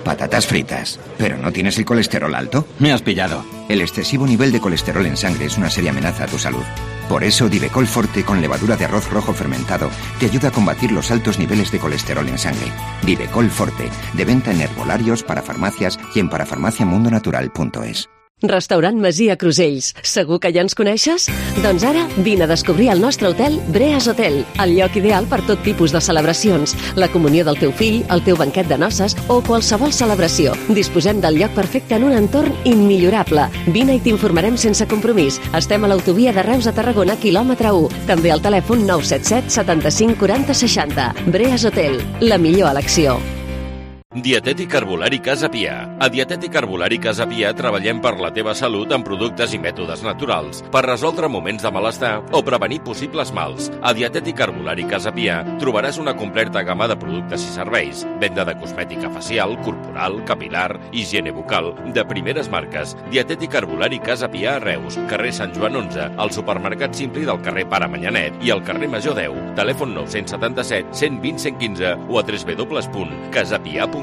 Speaker 4: Patatas fritas. ¿Pero no tienes el colesterol alto? Me has pillado. El excesivo nivel de colesterol en sangre es una seria amenaza a tu salud. Por eso, Divecol Forte con levadura de arroz rojo fermentado te ayuda a combatir los altos niveles de colesterol en sangre. Divecol Forte, de venta en herbolarios, parafarmacias y en parafarmaciamundonatural.es.
Speaker 10: Restaurant Masia Crusells. Segur que ja ens coneixes? Doncs ara vine a descobrir el nostre hotel Breas Hotel, el lloc ideal per tot tipus de celebracions, la comunió del teu fill, el teu banquet de noces o qualsevol celebració. Disposem del lloc perfecte en un entorn immillorable. Vine i t'informarem sense compromís. Estem a l'autovia de Reus a Tarragona, quilòmetre 1. També al telèfon 977 75 40 60. Breas Hotel, la millor elecció.
Speaker 28: Dietètic Herbolari Casa Pia. A Dietètic Herbolari Casa Pia treballem per la teva salut amb productes i mètodes naturals, per resoldre moments de malestar o prevenir possibles mals. A Dietètic Herbolari Casa Pia trobaràs una completa gamma de productes i serveis, venda de cosmètica facial, corporal, capilar, higiene bucal, de primeres marques. Dietètic Herbolari Casa Pia a Reus, carrer Sant Joan 11, al supermercat Simpli del carrer Pare Manyanet i al carrer Major 10, telèfon 977 120 115 o a www.casapia.com.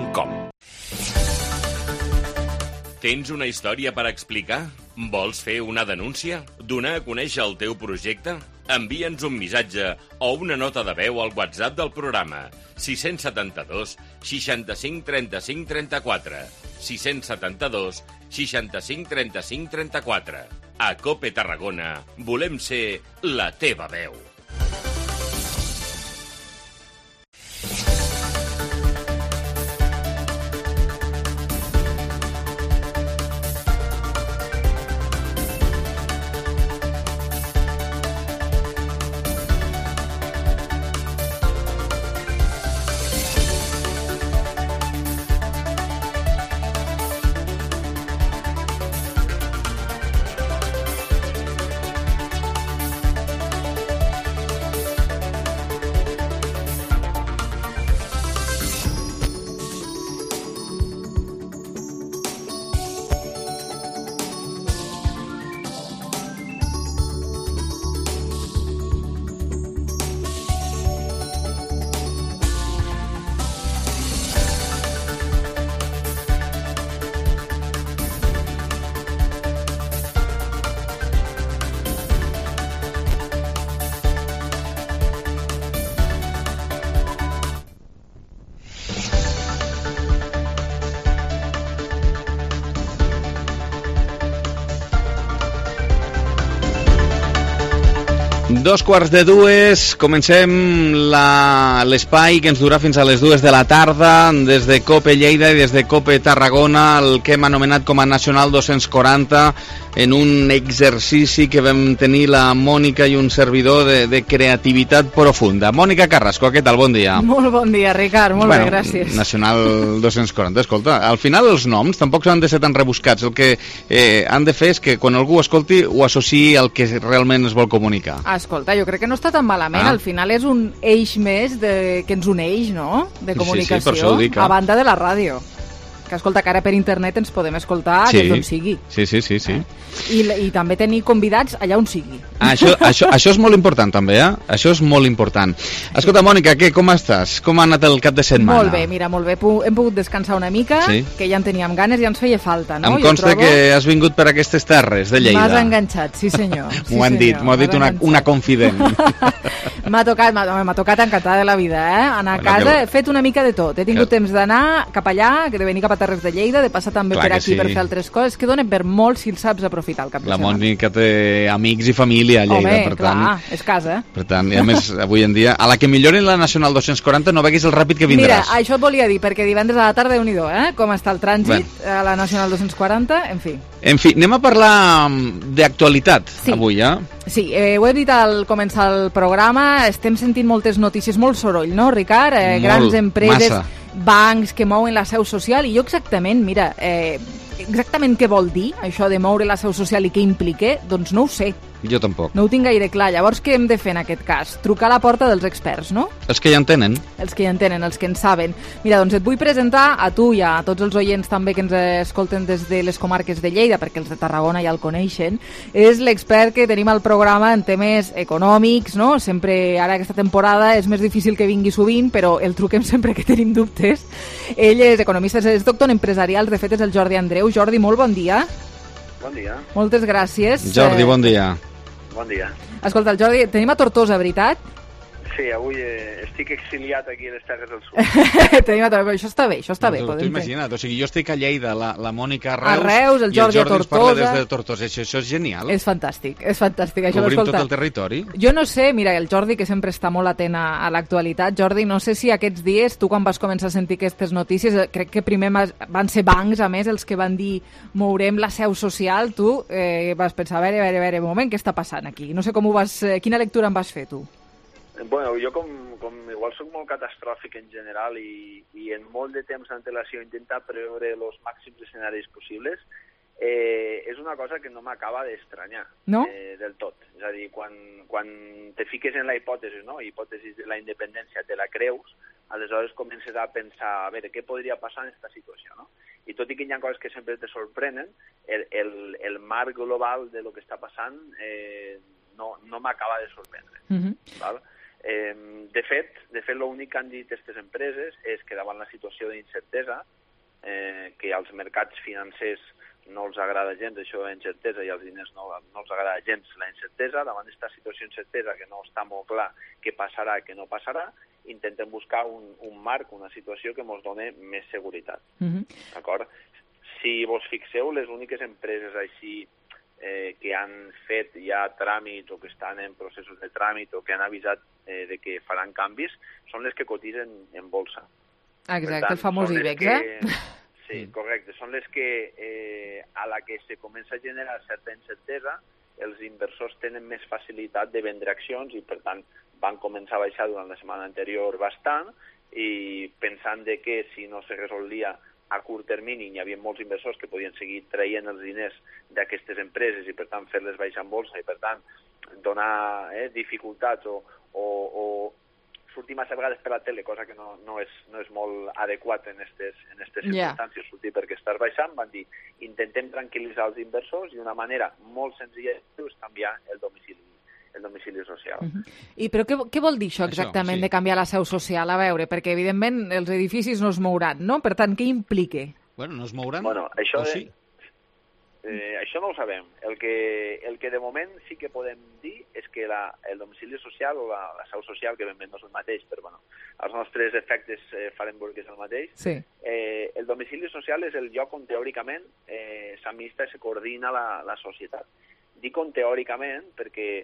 Speaker 28: Tens una història per explicar? Vols fer una denúncia? Donar a conèixer el teu projecte? Envia'ns un missatge o una nota de veu al WhatsApp del programa 672 65 35 34 672 65 35 34. A COPE Tarragona volem ser la teva veu.
Speaker 9: Dos quarts de dues, comencem l'espai que ens durà fins a les 2 de la tarda des de COPE Lleida i des de COPE Tarragona, el que hem anomenat com a Nacional 240, en un exercici que vam tenir la Mònica i un servidor de creativitat profunda. Mònica Carrasco, què tal? Bon dia.
Speaker 3: Molt bon dia, Ricard, molt bé, gràcies.
Speaker 9: Nacional 240, escolta, al final els noms tampoc han de ser tan rebuscats, el que han de fer és que quan algú escolti ho associï al que realment es vol comunicar.
Speaker 3: Escolta, jo crec que no està tan malament, al final és un eix més que ens uneix, no?, de comunicació,
Speaker 9: sí, per això ho dic,
Speaker 3: a banda de la ràdio. Que escolta, que ara per internet ens podem escoltar des d'on sigui.
Speaker 9: Sí.
Speaker 3: I també tenir convidats allà on sigui.
Speaker 9: Això és molt important també, eh? Això és molt important. Escolta, Mònica, què, com estàs? Com ha anat el cap de setmana?
Speaker 3: Molt bé, mira, molt bé. Hem pogut descansar una mica, que ja en teníem ganes, ja ens feia falta, no?
Speaker 9: Em consta que has vingut per aquestes terres de Lleida.
Speaker 3: M'has enganxat, sí senyor.
Speaker 9: M'ho han dit, m'ho ha dit una confident.
Speaker 3: M'ha tocat encantada de la vida, eh? Anar a casa, he fet una mica de tot. He tingut temps d'anar cap allà, de venir cap a Terres de Lleida, de passar també per aquí per fer altres coses, que donen per molt si el saps aprofitar el cap de setmana.
Speaker 9: La Mònica té amics i família a Lleida, per tant...
Speaker 3: Home, és casa.
Speaker 9: Per tant, i a més, avui en dia, a la que millorin la Nacional 240 no veguis el ràpid que vindràs.
Speaker 3: Mira, això et volia dir, perquè divendres a la tarda, Déu-n'hi-do, com està el trànsit a la Nacional 240, en fi.
Speaker 9: En fi, anem a parlar d'actualitat avui, eh?
Speaker 3: Sí, ho he dit al començar el programa, estem sentint moltes notícies, molt soroll, no, Ricard? Grans empreses, bancs que mouen la seu social, i jo exactament, mira, exactament què vol dir això de moure la seu social i què implica, doncs no ho sé.
Speaker 9: Jo tampoc.
Speaker 3: No ho tinc gaire clar. Llavors, què hem de fer en aquest cas? Trucar a la porta dels experts, no?
Speaker 9: Els que ja en tenen.
Speaker 3: Els que ja en tenen, els que en saben. Mira, doncs et vull presentar a tu i a tots els oients també que ens escolten des de les comarques de Lleida, perquè els de Tarragona ja el coneixen. És l'expert que tenim al programa en temes econòmics, no? Sempre, ara aquesta temporada, és més difícil que vingui sovint, però el truquem sempre que tenim dubtes. Ell és economista, és doctor en empresarials, de fet és el Jordi Andreu. Jordi, molt bon dia.
Speaker 11: Bon dia.
Speaker 3: Moltes gràcies.
Speaker 9: Jordi, bon dia.
Speaker 11: Bon dia.
Speaker 3: Escolta, el Jordi, tenim a Tortosa, veritat?
Speaker 11: Sí, avui estic exiliat aquí a les Terres del Sud.
Speaker 3: Això està bé, això està bé.
Speaker 9: Tu imagina't, o sigui, jo estic a Lleida, la Mònica a Reus,
Speaker 3: a Reus, el Jordi a Tortosa.
Speaker 9: I el Jordi ens parla des de Tortosa. Això és genial.
Speaker 3: És fantàstic, és fantàstic.
Speaker 9: Cobrim tot el territori.
Speaker 3: Jo no sé, mira, el Jordi, que sempre està molt atent a l'actualitat, Jordi, no sé si aquests dies, tu quan vas començar a sentir aquestes notícies, crec que primer van ser bancs, a més, els que van dir mourem la seu social, tu vas pensar, a veure, un moment, què està passant aquí? No sé com ho vas... Quina lectura en vas fer, tu?
Speaker 11: Bueno, jo com igual soc molt catastròfic en general i en molt de temps d'antelació intentar preveure els màxims escenaris possibles, és una cosa que no m'acaba d'estranyar del tot. És a dir, quan te fiques en la hipòtesi, no? Hipòtesi de la independència, te la creus, aleshores comences a pensar, a veure, què podria passar en aquesta situació, no? I tot i que hi ha coses que sempre te sorprenen, el marc global de lo que està passant no m'acaba de sorprendre. Val? De fet, l'únic que han dit aquestes empreses és que davant la situació d'incertesa, que als mercats financers no els agrada gens això de la incertesa i als diners no els agrada gens la incertesa, davant d'aquesta situació d'incertesa que no està molt clar què passarà, què no passarà, intentem buscar un marc, una situació que ens doni més seguretat. D'acord? Si vos fixeu, les úniques empreses així que han fet ja tràmits o que estan en processos de tràmit o que han avisat de que faran canvis són les que cotitzen en bolsa.
Speaker 3: Exacte, el famós IBEX,
Speaker 11: Sí, correcte. Són les que, a la que se comença a generar certa incertesa, els inversors tenen més facilitat de vendre accions i, per tant, van començar a baixar durant la setmana anterior bastant i pensant de que si no se resolia a curt termini hi havia molts inversors que podien seguir traient els diners d'aquestes empreses i, per tant, fer-les baixar en bolsa i, per tant, donar dificultats o sortir massa vegades per la tele, cosa que no és molt adequat en aquestes circumstàncies, sortir perquè estàs baixant, van dir, intentem tranquil·litzar els inversors i una manera molt senzilla és canviar el domicili social.
Speaker 3: Però què vol dir això exactament de canviar la seu social? A veure, perquè evidentment els edificis no es mouran, no? Per tant, què implica?
Speaker 9: Bueno, no es mouran
Speaker 11: això
Speaker 9: o sí?
Speaker 11: Això no ho sabem. El que de moment sí que podem dir és que el domicili social o la seu social, que ben bé no és el mateix, però bueno, els nostres efectes farem veure que és el mateix.
Speaker 3: Sí.
Speaker 11: El domicili social és el lloc on teòricament s'administra i se coordina la societat. Dic on teòricament perquè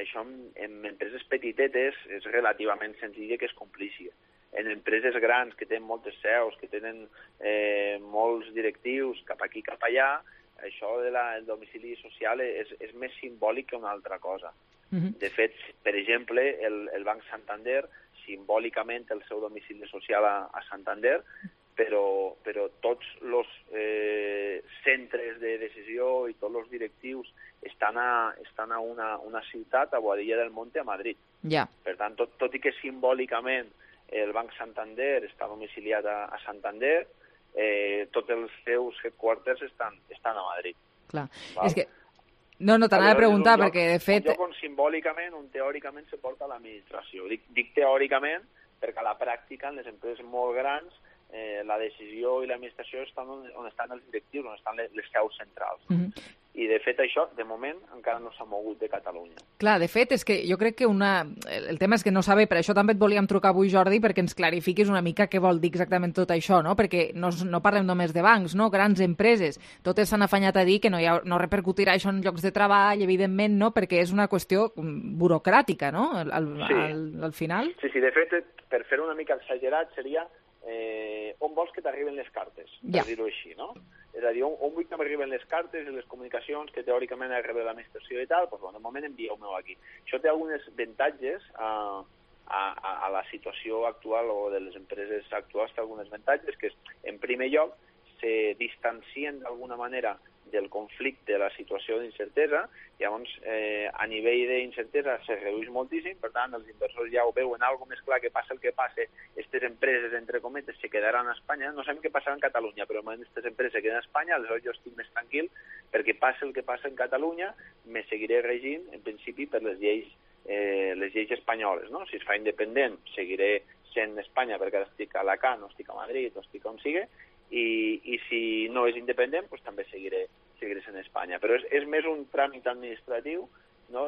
Speaker 11: això en empreses petitetes és relativament senzill que es compleixi. En empreses grans que tenen moltes seus, que tenen molts directius cap aquí, cap allà, això del domicili social és més simbòlic que una altra cosa. De fet, per exemple, el Banc Santander, simbòlicament el seu domicili social a Santander, però tots els centres de decisió i tots els directius estan a una ciutat, a Boadilla del Monte, a Madrid. Per tant, tot i que simbòlicament el Banc Santander està domiciliat a Santander, tots els seus headquarters estan a Madrid.
Speaker 3: Clar, és que... No, t'anava a preguntar, perquè de fet...
Speaker 11: Un lloc on simbòlicament, on teòricament se porta l'administració. Dic teòricament perquè a la pràctica, en les empreses molt grans, la decisió i l'administració estan on estan els directius, on estan les seus centrals. I, de fet, això, de moment, encara no s'ha mogut de Catalunya.
Speaker 3: Clar, de fet, és que jo crec que el tema és que no saber, per això també et volíem trucar avui, Jordi, perquè ens clarifiquis una mica què vol dir exactament tot això, no? Perquè no parlem només de bancs, no? Grans empreses. Totes s'han afanyat a dir que no repercutirà això en llocs de treball, evidentment, no? Perquè és una qüestió burocràtica, no? Al final.
Speaker 11: Sí, de fet, per fer una mica exagerat, seria on vols que t'arriben les cartes, per dir-ho així, no? És a dir, on vull que m'arriben les cartes i les comunicacions que teòricament ha de rebre l'administració i tal, doncs, de moment envieu-me-ho aquí. Això té alguns avantatges a la situació actual o de les empreses actuals, té alguns avantatges que, en primer lloc, se distancien d'alguna manera del conflicte, de la situació d'incertesa, llavors a nivell d'incertesa se redueix moltíssim, per tant els inversors ja ho veuen algo més clar, que passa el que passa, aquestes empreses, entre cometes, se quedaran a Espanya, no sabem què passarà en Catalunya, però aquestes empreses se queden a Espanya, aleshores jo estic més tranquil, perquè passa el que passa en Catalunya, me seguiré regint, en principi, per les lleis espanyoles, no? Si es fa independent, seguiré sent Espanya, perquè ara estic a Alacant, no estic a Madrid, o estic on sigui, i si no és independent, doncs també seguiré sent Espanya. Però és més un tràmit administratiu, no?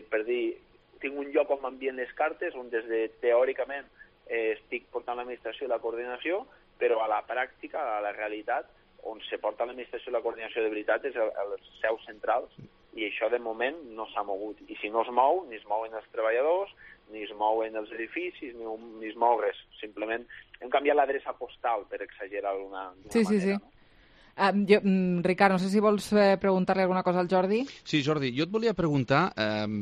Speaker 11: Per dir, tinc un lloc on m'envien les cartes, on des de teòricament estic portant l'administració i la coordinació, però a la pràctica, a la realitat, on se porta l'administració i la coordinació de veritat és els seus centrals, i això de moment no s'ha mogut. I si no es mou, ni es mouen els treballadors, ni es mouen els edificis, ni es mou res. Simplement hem canviat l'adreça postal, per exagerar d'una manera. No?
Speaker 3: Ricard, no sé si vols preguntar-li alguna cosa al Jordi.
Speaker 9: Sí, Jordi, jo et volia preguntar,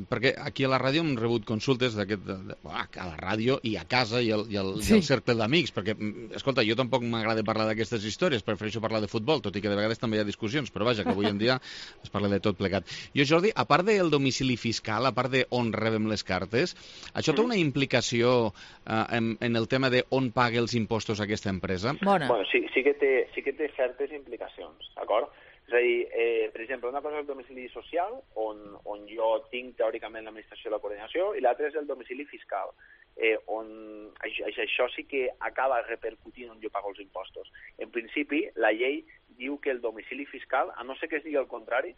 Speaker 9: perquè aquí a la ràdio hem rebut consultes a la ràdio i a casa i al cercle d'amics, perquè, escolta, jo tampoc m'agrada parlar d'aquestes històries, prefereixo parlar de futbol, tot i que de vegades també hi ha discussions, però vaja, que avui en dia es parla de tot plegat. Jo, Jordi, a part del domicili fiscal, a part d'on rebem les cartes, això té una implicació en el tema d'on paga els impostos aquesta empresa?
Speaker 3: Bona.
Speaker 11: Bueno, sí que té certes implicacions, d'acord? És a dir, per exemple, una cosa és el domicili social, on jo tinc teòricament l'administració de la coordinació, i l'altra és el domicili fiscal, on això sí que acaba repercutint on jo pago els impostos. En principi, la llei diu que el domicili fiscal, a no ser que es digui el contrari,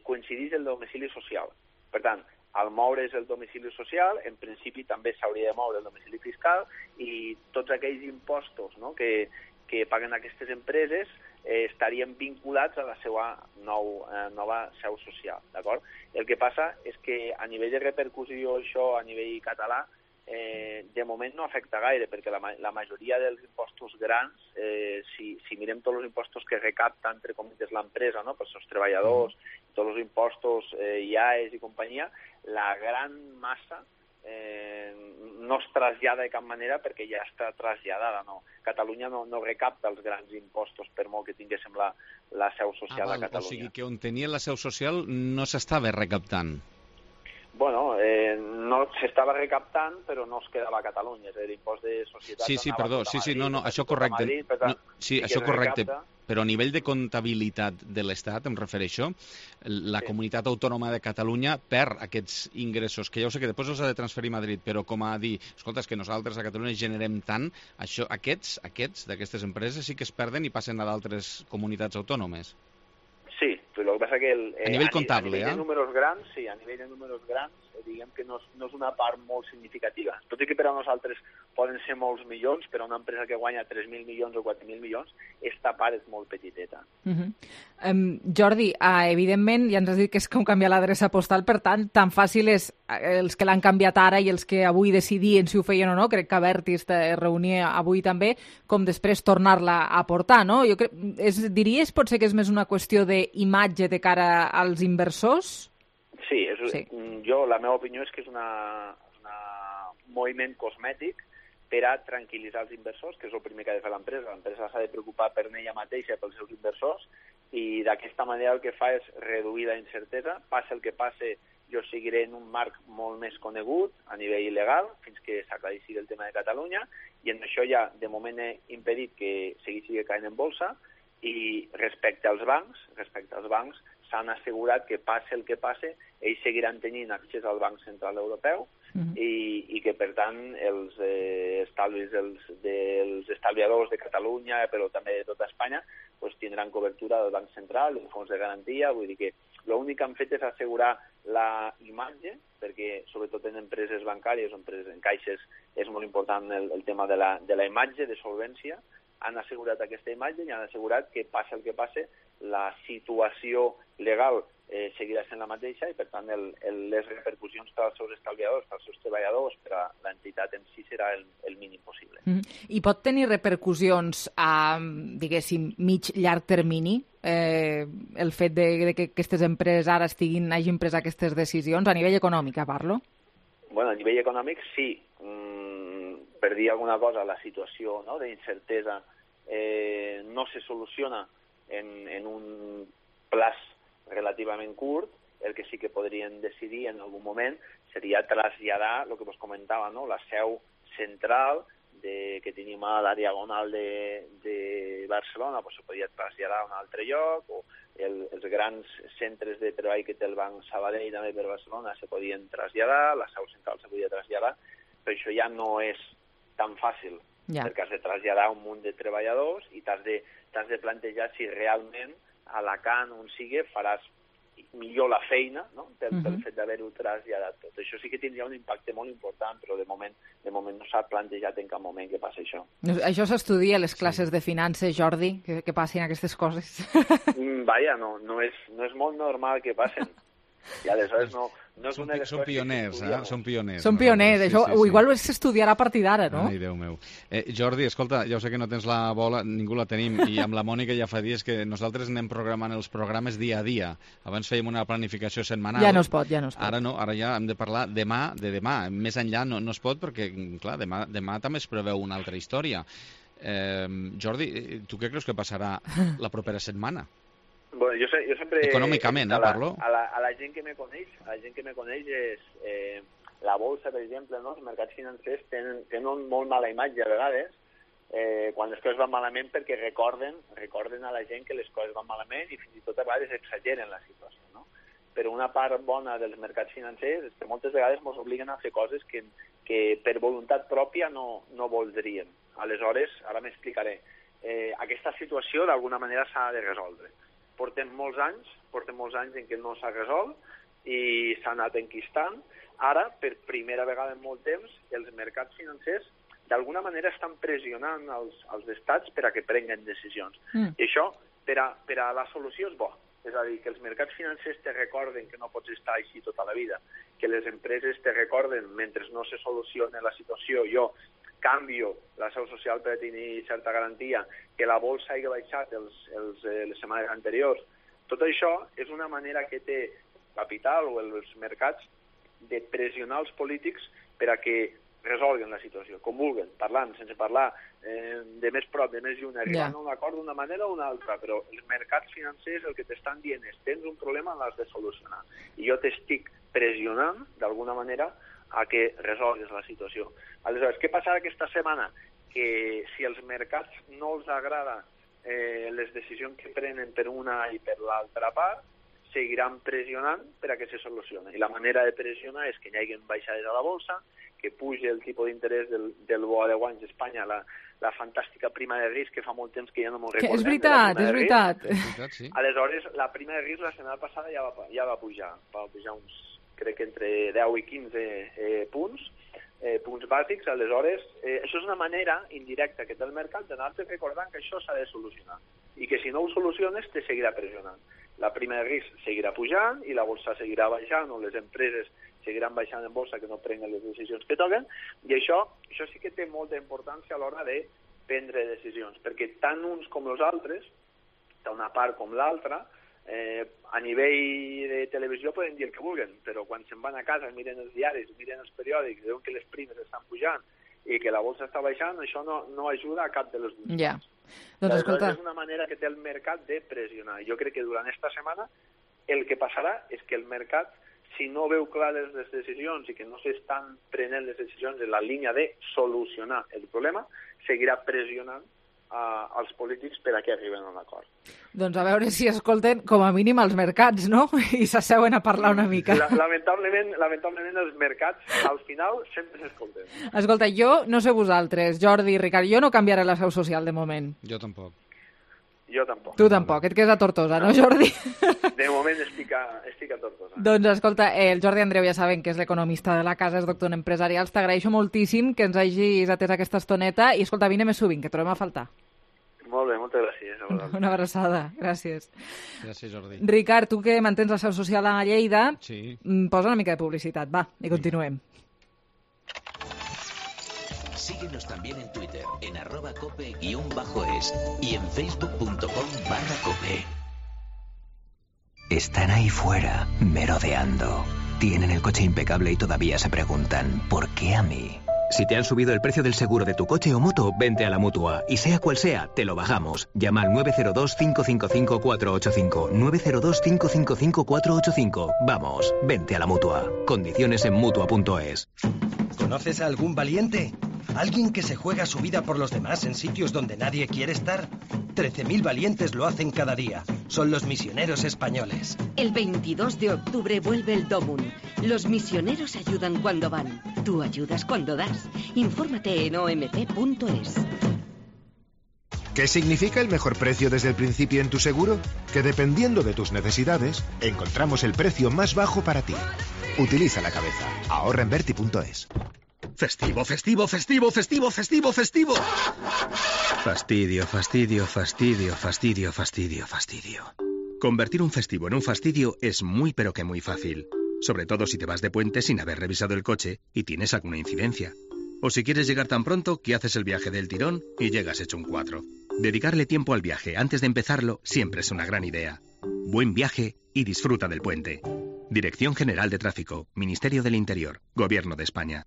Speaker 11: coincideix el domicili social. Per tant, al moure's el domicili social, en principi també s'hauria de moure el domicili fiscal i tots aquells impostos, no, que paguen aquestes empreses estarien vinculats a la seva nova seu social, d'acord? El que passa és que a nivell de repercussió això a nivell català de moment no afecta gaire, perquè la majoria dels impostos grans, si mirem tots els impostos que recapta, entre cometes, l'empresa, no?, pels seus treballadors, tots els impostos IAES i companyia, la gran massa no es trasllada de cap manera perquè ja està traslladada. No? Catalunya no recapta els grans impostos per molt que tinguéssim la seu social a Catalunya.
Speaker 9: O sigui que on tenia la seu social no s'estava recaptant.
Speaker 11: Bueno, no s'estava recaptant, però no es quedava a Catalunya, és a dir, l'impost de societats...
Speaker 9: Sí, perdó, això correcte. Sí, això correcte, però a nivell de comptabilitat de l'Estat, em refereixo, la comunitat autònoma de Catalunya perd aquests ingressos, que ja ho sé que després els ha de transferir a Madrid, però com a dir, escolta, és que nosaltres a Catalunya generem tant, aquests d'aquestes empreses sí que es perden i passen a d'altres comunitats autònomes.
Speaker 11: Sí, però el que passa que
Speaker 9: a nivell comptable,
Speaker 11: a nivell de números grans, sí, a nivell de números grans, diguem que no és una part molt significativa. Tot i que per a nosaltres poden ser molts milions, per a una empresa que guanya 3.000 milions o 4.000 milions, esta part és molt petiteta.
Speaker 3: Jordi, evidentment, ja ens has dit que és com canviar l'adreça postal, per tant, tan fàcil és els que l'han canviat ara i els que avui decidien si ho feien o no, crec que Abertis es reunia avui també, com després tornar-la a portar, no? Jo diries, potser que és més una qüestió d'imatge de cara als inversors?
Speaker 11: Sí, la meva opinió és que és un moviment cosmètic per a tranquil·litzar els inversors, que és el primer que ha de fer l'empresa. L'empresa s'ha de preocupar per ella mateixa i pels seus inversors, i d'aquesta manera el que fa és reduir la incertesa. Passa el que passe, jo seguiré en un marc molt més conegut a nivell legal, fins que s'aclareixi el tema de Catalunya, i en això ja de moment he impedit que segueixi caient en bolsa, i respecte als bancs s'han assegurat que passe el que passe, ells seguiran tenint accés al Banc Central Europeu i que, per tant, els estalvis dels estalviadors de Catalunya, però també de tota Espanya, tindran cobertura del Banc Central, del fons de garantia. Vull dir que l'únic que han fet és assegurar la imatge, perquè sobretot en empreses bancàries o en caixes és molt important el tema de la imatge, de solvència. Han assegurat aquesta imatge i han assegurat que passi el que passi, la situació legal seguirà sent la mateixa i, per tant, les repercussions per als seus estalviadors, per als seus treballadors, per a l'entitat en si serà el mínim possible.
Speaker 3: I pot tenir repercussions a, diguéssim, mig-llarg termini el fet de que aquestes empreses ara hagin pres aquestes decisions, a nivell econòmic, parlo?
Speaker 11: Bueno, a nivell econòmic, sí. Per dir alguna cosa, la situació d'incertesa no se soluciona en un plaç relativament curt. El que sí que podrien decidir en algun moment seria traslladar, el que vos comentava, la seu central que tenim a la Diagonal de Barcelona, se podria traslladar a un altre lloc, o els grans centres de treball que té el Banc Sabadell també per Barcelona se podien traslladar, la seu central se podia traslladar, però això ja no és tan fàcil, perquè has de traslladar un munt de treballadors i t'has de plantejar si realment a Alacant, on sigui, faràs millor la feina, pel fet d'haver-ho traslladat tot. Això sí que tindria un impacte molt important, però de moment no s'ha plantejat en cap moment que passi això.
Speaker 3: Això s'estudia a les classes de finances, Jordi, que passin aquestes coses?
Speaker 11: Vaja, no és molt normal que passen. I aleshores no és una...
Speaker 9: Són pioners, Són pioners.
Speaker 3: Són pioners, això igual s'estudiarà a partir d'ara, no?
Speaker 9: Ai, Déu meu. Jordi, escolta, ja ho sé que no tens la bola, ningú la tenim, i amb la Mònica ja fa dies que nosaltres anem programant els programes dia a dia. Abans fèiem una planificació setmanal.
Speaker 3: Ja no es pot.
Speaker 9: Ara no, ara ja hem de parlar de demà. Més enllà no es pot perquè, clar, demà també es preveu una altra història. Jordi, tu què creus que passarà la propera setmana?
Speaker 11: Bueno, jo sempre...
Speaker 9: Econòmicament, parlo.
Speaker 11: A la gent que me coneix és... la bolsa, per exemple, no? Els mercats financers tenen molt mala imatge a vegades quan les coses van malament perquè recorden a la gent que les coses van malament i fins i tot a vegades exageren la situació, no? Però una part bona dels mercats financers és que moltes vegades ens obliguen a fer coses que per voluntat pròpia no voldríem. Aleshores, ara m'explicaré. Aquesta situació d'alguna manera s'ha de resoldre. Portem molts anys en què no s'ha resolt i s'ha anat enquistant. Ara, per primera vegada en molt temps, els mercats financers d'alguna manera estan pressionant els estats per a que prenguen decisions. I això, per a la solució és bo. És a dir, que els mercats financers te recorden que no pots estar així tota la vida, que les empreses te recorden, mentre no se soluciona la situació, jo canvio la seu social per tenir certa garantia, que la bolsa hagi baixat les setmanes anteriors. Tot això és una manera que té capital o els mercats de pressionar els polítics per a que resolguen la situació, com vulguen, parlant, sense parlar, de més prop, de més lluny, arribant a un acord d'una manera o una altra, però els mercats financers el que t'estan dient és tens un problema, l'has de solucionar. I jo t'estic pressionant, d'alguna manera, a que resolgues la situació. Aleshores, què passarà aquesta setmana? Que si als mercats no els agrada les decisions que prenen per una i per l'altra part, seguiran pressionant per a que se solucioni. I la manera de pressionar és que hi hagi baixades a la bolsa, que pugi el tipus d'interès del bo a 10 anys d'Espanya, la fantàstica prima de risc que fa molt temps que ja no m'ho recordem.
Speaker 3: És veritat.
Speaker 9: Sí.
Speaker 11: Aleshores, la prima de risc la setmana passada ja va pujar. Va pujar uns, crec que entre 10 i 15 punts bàsics. Aleshores, això és una manera indirecta que té el mercat d'anar-te recordant que això s'ha de solucionar i que si no ho soluciones te seguirà pressionant. La prima de risc seguirà pujant i la bolsa seguirà baixant o les empreses seguiran baixant en bolsa que no prenguen les decisions que toquen, i això sí que té molta importància a l'hora de prendre decisions, perquè tant uns com els altres, tant una part com l'altra, a nivell de televisió poden dir el que vulguen, però quan se'n van a casa, miren els diaris, miren els periòdics, veuen que les primes estan pujant i que la bolsa està baixant, això no ajuda a cap de les dues.
Speaker 3: Ja. Doncs escolta...
Speaker 11: És una manera que té el mercat de pressionar. Jo crec que durant esta setmana el que passarà és que el mercat, si no veu clares les decisions i que no s'estan prenent les decisions en la línia de solucionar el problema, seguirà pressionant als polítics per a que arriben a un acord.
Speaker 3: Doncs a veure si escolten com a mínim els mercats, no? I s'asseuen a parlar una mica.
Speaker 11: Lamentablement els mercats al final sempre s'escolten.
Speaker 3: Escolta, jo no sé vosaltres, Jordi i Ricard, jo no canviaré la seu social de moment.
Speaker 9: Jo tampoc.
Speaker 11: Jo tampoc.
Speaker 3: Tu tampoc, et quedes a Tortosa, no, Jordi?
Speaker 11: De moment estic a Tortosa.
Speaker 3: Doncs escolta, el Jordi Andreu ja saben que és l'economista de la casa, és doctor en empresarials. T'agraeixo moltíssim que ens hagis atès aquesta estoneta i escolta, vine més sovint, que trobem a faltar.
Speaker 11: Molt bé, moltes gràcies.
Speaker 3: Una abraçada, gràcies.
Speaker 9: Gràcies, Jordi.
Speaker 3: Ricard, tu que mantens la seu social a Lleida,
Speaker 9: sí.
Speaker 3: Posa una mica de publicitat, va, i continuem.
Speaker 20: Síguenos también en Twitter, en @cope_es y en facebook.com/cope.
Speaker 12: Están ahí fuera, merodeando. Tienen el coche impecable y todavía se preguntan, ¿por qué a mí? Si te han subido el precio del seguro de tu coche o moto, vente a la Mutua. Y sea cual sea, te lo bajamos. Llama al 902-555-485. 902-555-485. Vamos, vente a la Mutua. Condiciones en Mutua.es.
Speaker 13: ¿Conoces a algún valiente? ¿Alguien que se juega su vida por los demás en sitios donde nadie quiere estar? 13.000 valientes lo hacen cada día. Son los misioneros españoles.
Speaker 10: El 22 de octubre vuelve el DOMUN. Los misioneros ayudan cuando van. Tú ayudas cuando das. Infórmate en omp.es.
Speaker 1: ¿Qué significa el mejor precio desde el principio en tu seguro? Que dependiendo de tus necesidades, encontramos el precio más bajo para ti. Utiliza la cabeza. Ahorra en Verti.es.
Speaker 14: Festivo, festivo, festivo, festivo, festivo, festivo.
Speaker 13: Fastidio, fastidio, fastidio, fastidio, fastidio, fastidio.
Speaker 2: Convertir un festivo en un fastidio es muy pero que muy fácil. Sobre todo si te vas de puente sin haber revisado el coche y tienes alguna incidencia. O si quieres llegar tan pronto que haces el viaje del tirón y llegas hecho un 4. Dedicarle tiempo al viaje antes de empezarlo siempre es una gran idea. Buen viaje y disfruta del puente. Dirección General de Tráfico, Ministerio del Interior, Gobierno de España.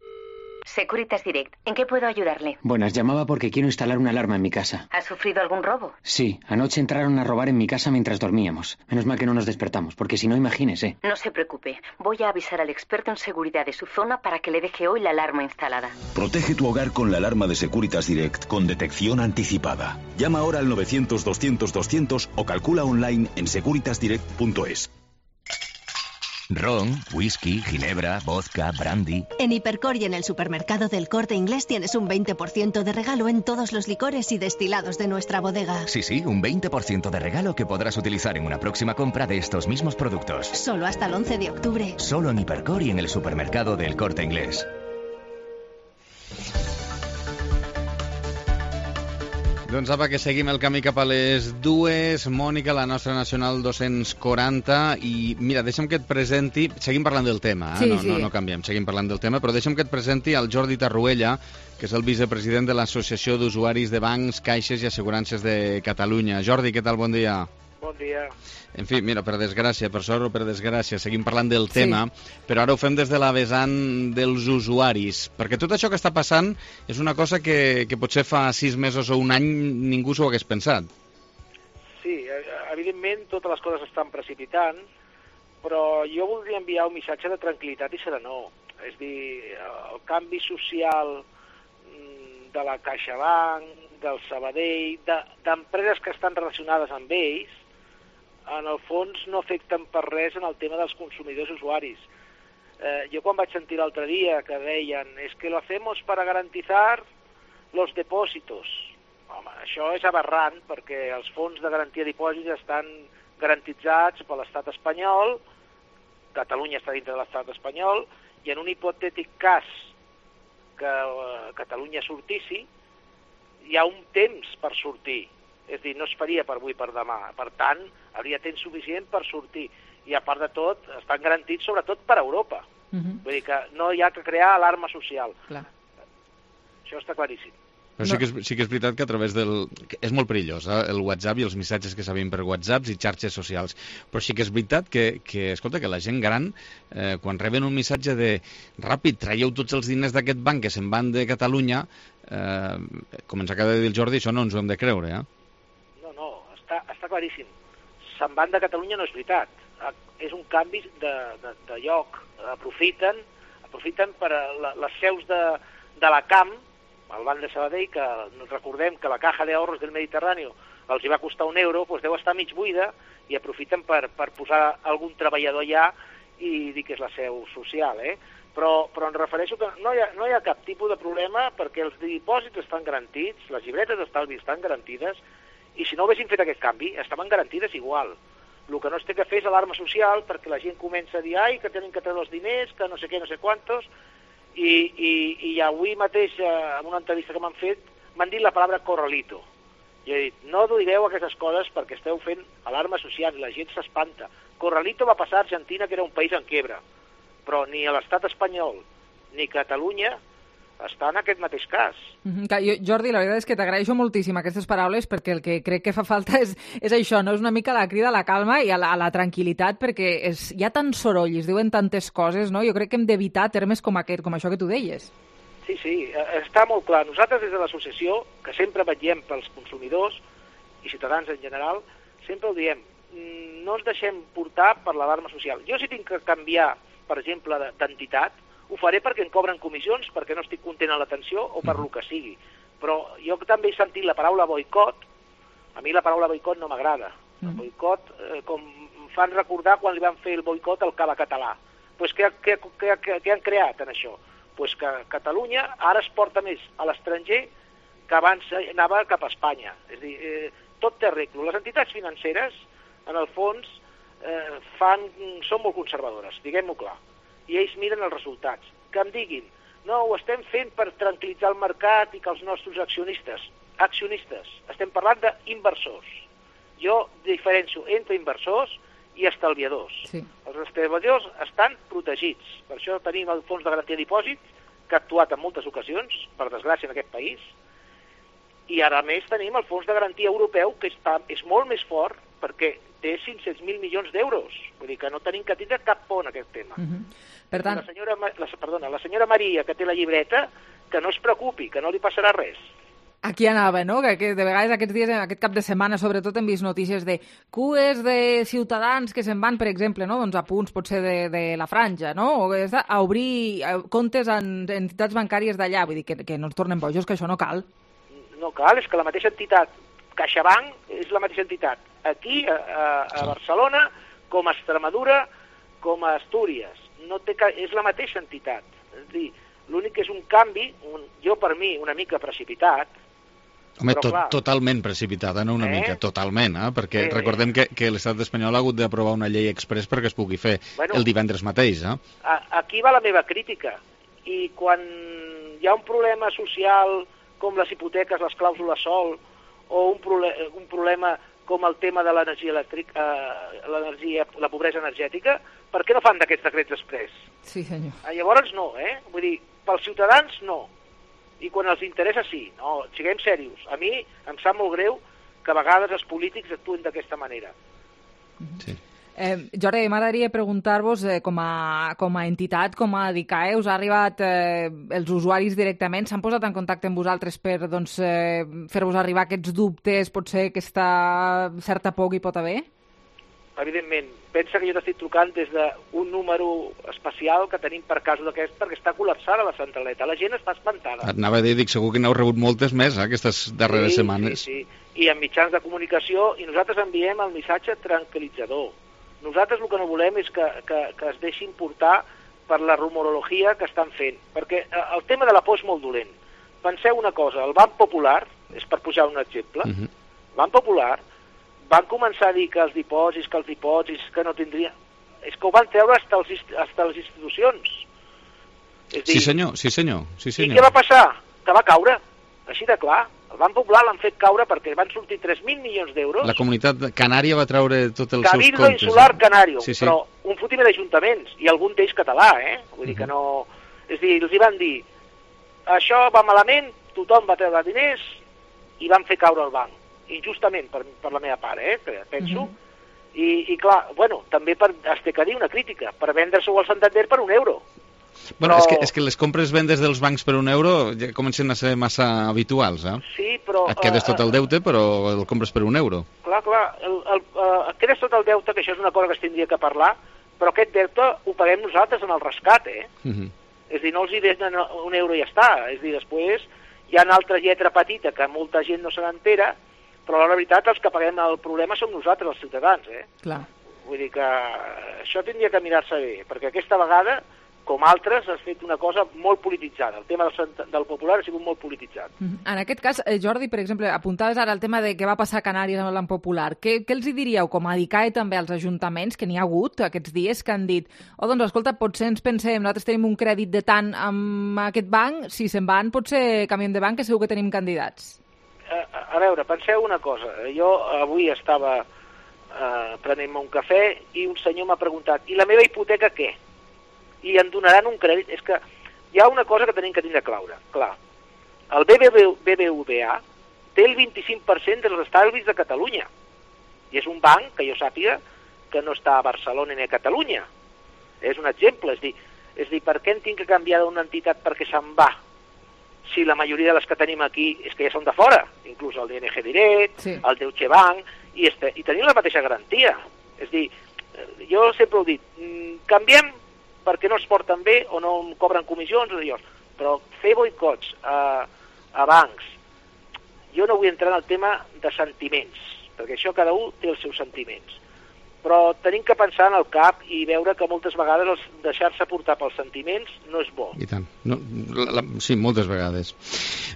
Speaker 6: Securitas Direct, ¿en qué puedo ayudarle?
Speaker 16: Buenas, llamaba porque quiero instalar una alarma en mi casa.
Speaker 6: ¿Ha sufrido algún robo?
Speaker 16: Sí, anoche entraron a robar en mi casa mientras dormíamos. Menos mal que no nos despertamos, porque si no, imagínese.
Speaker 6: No se preocupe, voy a avisar al experto en seguridad de su zona para que le deje hoy la alarma instalada.
Speaker 17: Protege tu hogar con la alarma de Securitas Direct con detección anticipada. Llama ahora al 900-200-200 o calcula online en securitasdirect.es.
Speaker 7: Ron, whisky, ginebra, vodka, brandy.
Speaker 15: En Hipercor y en el supermercado del Corte Inglés tienes un 20% de regalo en todos los licores y destilados de nuestra bodega.
Speaker 7: Sí, un 20% de regalo que podrás utilizar en una próxima compra de estos mismos productos.
Speaker 15: Solo hasta el 11 de octubre.
Speaker 7: Solo en Hipercor y en el supermercado del Corte Inglés.
Speaker 9: Doncs apa, que seguim el camí cap a les 2. Mònica, la nostra Nacional 240. I mira, deixa'm que et presenti... Seguim parlant del tema,
Speaker 3: Sí.
Speaker 9: no canviem, seguim parlant del tema, però deixa'm que et presenti el Jordi Tarruella, que és el vicepresident de l'Associació d'Usuaris de Bancs, Caixes i Assegurances de Catalunya. Jordi, què tal? Bon dia.
Speaker 18: Bon dia.
Speaker 9: En fi, mira, per desgràcia, per sort o per desgràcia, seguim parlant del tema, però ara ho fem des de la vessant dels usuaris, perquè tot això que està passant és una cosa que potser fa 6 mesos o un any ningú s'ho hagués pensat.
Speaker 18: Sí, evidentment totes les coses estan precipitant, però jo voldria enviar un missatge de tranquil·litat i serenor. És a dir, el canvi social de la CaixaBank, del Sabadell, d'empreses que estan relacionades amb ells, en el fons no afecten per res en el tema dels consumidors usuaris. Jo quan vaig sentir l'altre dia que deien es que lo hacemos para garantizar los depósitos. Home, això és aberrant perquè els fons de garantia de dipòsits estan garantitzats per l'estat espanyol, Catalunya està dintre de l'estat espanyol, i en un hipotètic cas que Catalunya sortissi, hi ha un temps per sortir. És a dir, no es faria per avui per demà. Per tant, hauria temps suficient per sortir. I a part de tot, estan garantits sobretot per Europa. Vull dir que no hi ha que crear alarma social.
Speaker 3: Clar.
Speaker 18: Això està claríssim.
Speaker 9: Però sí que és veritat que a través del... És molt perillós, el WhatsApp i els missatges que s'havien per WhatsApps i xarxes socials. Però sí que és veritat que escolta, que la gent gran, quan reben un missatge de ràpid, traieu tots els diners d'aquest banc que se'n van de Catalunya, com ens acaba de dir el Jordi, això no ens ho hem de creure,
Speaker 18: No, està claríssim. Se'n van de Catalunya no és veritat. És un canvi de lloc. Aprofiten per les seus de la CAM, el Banc de Sabadell, que recordem que la Caja de Ahorros del Mediterrani els hi va costar €1, doncs deu estar mig buida, i aprofiten per posar algun treballador allà i dir que és la seu social, Però em refereixo que no hi ha cap tipus de problema perquè els dipòsits estan garantits, les llibretes d'estalvi estan garantides, i si no haguessin fet aquest canvi, estaven garantides igual. El que no es té que fer és alarma social perquè la gent comença a dir que tenen que treure els diners, que no sé què, no sé quantos, i avui mateix, en una entrevista que m'han fet, m'han dit la paraula corralito. Jo he dit, no digueu aquestes coses perquè esteu fent alarma social i la gent s'espanta. Corralito va passar a Argentina, que era un país en quiebra, però ni a l'estat espanyol ni Catalunya està en aquest mateix cas.
Speaker 3: Jordi, la veritat és que t'agraeixo moltíssim aquestes paraules perquè el que crec que fa falta és això, no? És una mica la crida a la calma i a la tranquil·litat perquè hi ha tant soroll i es diuen tantes coses, no? Jo crec que hem d'evitar termes com això que tu deies.
Speaker 18: Sí, està molt clar. Nosaltres des de l'associació, que sempre vetllem pels consumidors i ciutadans en general, sempre ho diem, no ens deixem portar per l'alarma social. Jo si tinc que canviar, per exemple, d'entitat, ho faré perquè em cobren comissions, perquè no estic content amb l'atenció o per lo que sigui. Però jo també he sentit la paraula boicot. A mi la paraula boicot no m'agrada. El boicot, com em fan recordar quan li van fer el boicot al Cava Català. Doncs què han creat en això? Doncs que Catalunya ara es porta més a l'estranger que abans anava cap a Espanya. És a dir, tot té arreglo. Les entitats financeres, en el fons, són molt conservadores, diguem-ho clar. I ells miren els resultats. Que em diguin, no, ho estem fent per tranquil·litzar el mercat i que els nostres accionistes, estem parlant d'inversors. jo diferencio entre inversors i estalviadors.
Speaker 3: Sí.
Speaker 18: Els estalviadors estan protegits. Per això tenim el Fons de Garantia de Dipòsit, que ha actuat en moltes ocasions, per desgràcia en aquest país, i ara més tenim el Fons de Garantia Europeu, que és molt més fort, perquè té 500.000 milions d'euros. Vull dir que no tenim que tindre cap por en aquest tema.
Speaker 3: Per tant...
Speaker 18: La senyora Maria, que té la llibreta, que no es preocupi, que no li passarà res.
Speaker 3: Aquí anava, no? Que de vegades aquests dies, aquest cap de setmana, sobretot hem vist notícies de cues de ciutadans que se'n van, per exemple, no? Doncs a punts potser de la franja, no? O a obrir comptes en entitats bancàries d'allà. Vull dir que no ens tornem bojos, que això no cal. No cal, és que la mateixa entitat, CaixaBank, és la mateixa entitat. Aquí, a Barcelona, com a Extremadura, com a Astúries. És la mateixa entitat. És a dir, l'únic que és un canvi, jo per mi, una mica precipitat.
Speaker 9: Home, totalment precipitada, no una mica, totalment, perquè recordem que l'estat espanyol ha hagut d'aprovar una llei express perquè es pugui fer el divendres mateix.
Speaker 18: Aquí va la meva crítica. I quan hi ha un problema social com les hipoteques, les clàusules sol, o un problema com el tema de l'energia elèctrica, la pobresa energètica, per què no fan d'aquests decrets express?
Speaker 3: Sí, senyor.
Speaker 18: Llavors no, Vull dir, pels ciutadans no. I quan els interessa sí. No, siguem serios. A mi em sap molt greu que a vegades els polítics actuen d'aquesta manera.
Speaker 9: Sí.
Speaker 3: Jordi, m'agradaria preguntar-vos, com a entitat, com a DICAE, us ha arribat els usuaris directament? S'han posat en contacte amb vosaltres per fer-vos arribar aquests dubtes, potser aquesta certa por que hi pot haver?
Speaker 18: Evidentment. Pensa que jo t'estic trucant des d'un número especial que tenim per casos d'aquest, perquè està col·lapsada la centraleta. La gent està espantada.
Speaker 9: Anava a dir, segur que n'heu rebut moltes més, aquestes darreres setmanes.
Speaker 18: Sí. I en mitjans de comunicació, i nosaltres enviem el missatge tranquil·litzador. Nosaltres el que no volem és que es deixin portar per la rumorologia que estan fent, perquè el tema de la por és molt dolent. Penseu una cosa, el Banc Popular, és per posar un exemple, el Banc Popular van començar a dir que els dipòsits, que no tindrien... És que ho van treure fins a les institucions.
Speaker 9: Sí, senyor.
Speaker 18: I què va passar? Que va caure, així de clar. El Banc Popular l'han fet caure perquè van sortir 3.000 milions d'euros.
Speaker 9: La comunitat canària va treure tots els seus comptes.
Speaker 18: Cabildo Insular Canario, però un fotimer d'ajuntaments, i algun d'ells català, Vull dir que no... És a dir, els hi van dir, això va malament, tothom va treure diners i van fer caure el banc. Injustament, per la meva part, penso. I clar, bueno, també es té que dir una crítica, per vendre-s'ho al Santander per €1.
Speaker 9: Bueno, és que les compres-vendes dels bancs per €1 ja comencen a ser massa habituals,
Speaker 18: Sí, però...
Speaker 9: Et quedes tot el deute, però el compres per €1.
Speaker 18: Clar, et quedes tot el deute, que això és una cosa que es tindria que parlar, però aquest deute ho paguem nosaltres en el rescat, És a dir, no els hi deixen €1 i ja està. És a dir, després hi ha una altra lletra petita que molta gent no se n'entera, però la veritat els que paguem el problema som nosaltres, els ciutadans,
Speaker 3: Clar.
Speaker 18: Vull dir que això tindria que mirar-se bé, perquè aquesta vegada, com altres, has fet una cosa molt polititzada. El tema del Popular ha sigut molt polititzat.
Speaker 3: En aquest cas, Jordi, per exemple, apuntaves ara el tema de què va passar a Canàries amb el Banc Popular. Què els hi diríeu, com a DICAE també als ajuntaments, que n'hi ha hagut aquests dies, que han dit, doncs, escolta, potser ens pensem, nosaltres tenim un crèdit de tant amb aquest banc, si se'n van, potser canviem de banc, que segur que tenim candidats.
Speaker 18: A veure, penseu una cosa. Jo avui estava prenent-me un cafè i un senyor m'ha preguntat, i la meva hipoteca què? I em donaran un crèdit? És que hi ha una cosa que tenim que tindre clar. El BBVA té el 25% dels estalvis de Catalunya. I és un banc, que jo sàpiga, que no està a Barcelona ni a Catalunya. És un exemple. És dir, per què en tinc que canviar d'una entitat perquè se'n va? Si la majoria de les que tenim aquí és que ja són de fora, inclús el DNG Direct, el Deutsche Bank, i tenim la mateixa garantia. És dir, jo sempre ho he dit, canviem perquè no es porten bé o no cobren comissions o d'allò, però fer boicots a bancs, jo no vull entrar en el tema de sentiments, perquè això cada un té els seus sentiments, però tenim que pensar en el cap i veure que moltes vegades deixar-se portar pels sentiments no és bo.
Speaker 9: I tant. No, sí, moltes vegades.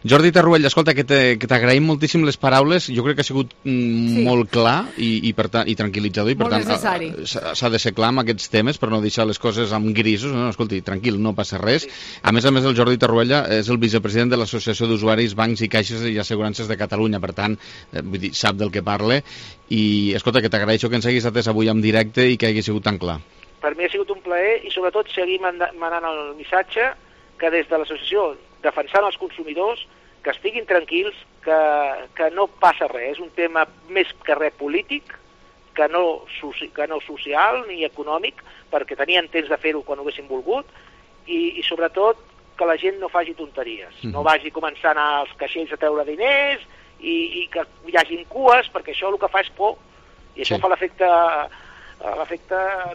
Speaker 9: Jordi Tarruella, escolta, que t'agraïm moltíssim les paraules, jo crec que ha sigut molt clar i tranquil·litzador, i per tant s'ha de ser clar amb aquests temes per no deixar les coses amb grisos. No, escolti, tranquil, no passa res. A més, el Jordi Tarruella és el vicepresident de l'Associació d'Usuaris, Bancs i Caixes i Assegurances de Catalunya, per tant, vull dir, sap del que parla, i escolta, que t'agraeixo que ens haguis atès avui en directe i que hagi sigut tan clar.
Speaker 18: Per mi ha sigut un plaer i sobretot seguir manant el missatge que des de l'associació, defensant els consumidors, que estiguin tranquils, que no passa res, és un tema més que res polític, que no social ni econòmic, perquè tenien temps de fer-ho quan ho haguessin volgut, i sobretot que la gent no faci tonteries, no vagi començant als caixers a treure diners i que hi hagin cues, perquè això el que fa és por, i això fa l'efecte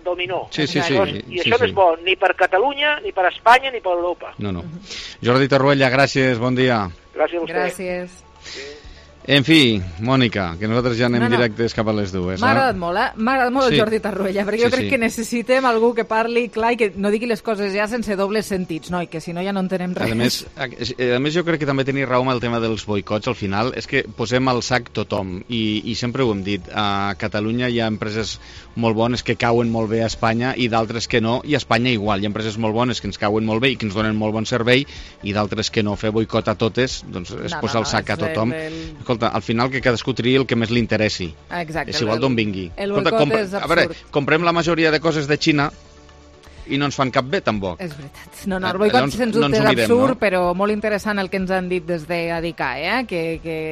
Speaker 18: dominó.
Speaker 9: I
Speaker 18: això no és bo ni per Catalunya, ni per Espanya, ni per Europa.
Speaker 9: No. Jordi Tarruella, gràcies, bon dia.
Speaker 18: Gràcies a vostè.
Speaker 3: Gràcies.
Speaker 9: En fi, Mònica, que nosaltres ja anem directes cap a les 2.
Speaker 3: M'ha agradat molt, M'ha agradat molt el Jordi Tarruella, perquè jo crec que necessitem algú que parli clar i que no digui les coses ja sense dobles sentits, no? I que si no ja no entenem res.
Speaker 9: A més jo crec que també tenia raó amb el tema dels boicots, al final, és que posem al sac tothom, i sempre ho hem dit, a Catalunya hi ha empreses molt bones que cauen molt bé a Espanya i d'altres que no, i a Espanya igual, hi ha empreses molt bones que ens cauen molt bé i que ens donen molt bon servei, i d'altres que no. Fer boicot a totes, doncs és posar el sac a tothom. Escolta, al final que cadascú triï el que més li interessi.
Speaker 3: Exacte.
Speaker 9: És igual d'on vingui.
Speaker 3: El boicot és absurd.
Speaker 9: A veure, comprem la majoria de coses de Xina i no ens fan cap bé, tampoc.
Speaker 3: És veritat. No, el boicot sens dubte és absurd, però molt interessant el que ens han dit des d'ADICA, que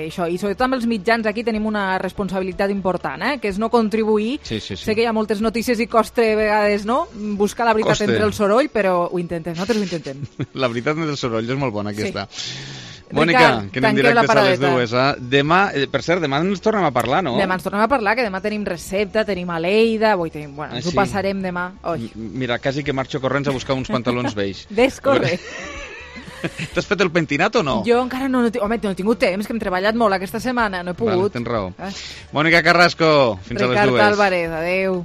Speaker 3: això, i sobretot amb els mitjans aquí tenim una responsabilitat important, que és no contribuir. Sé que hi ha moltes notícies i costa a vegades, no?, buscar la veritat entre el soroll, però ho intentem, nosaltres ho intentem.
Speaker 9: La veritat entre el soroll és molt bona, aquesta. Mònica, que anem directes a les 2. Demà, per cert, demà ens tornem a parlar, no?
Speaker 3: Demà ens tornem a parlar, que demà tenim recepta, tenim a Lleida, ens ho passarem demà.
Speaker 9: Mira, quasi que marxo corrents a buscar uns pantalons vells.
Speaker 3: Ves, corre.
Speaker 9: T'has fet el pentinat o no?
Speaker 3: Jo encara no he tingut temps, que hem treballat molt aquesta setmana, no he pogut.
Speaker 9: Tens raó. Mònica Carrasco, fins a les 2.
Speaker 3: Ricard Álvarez, adeu.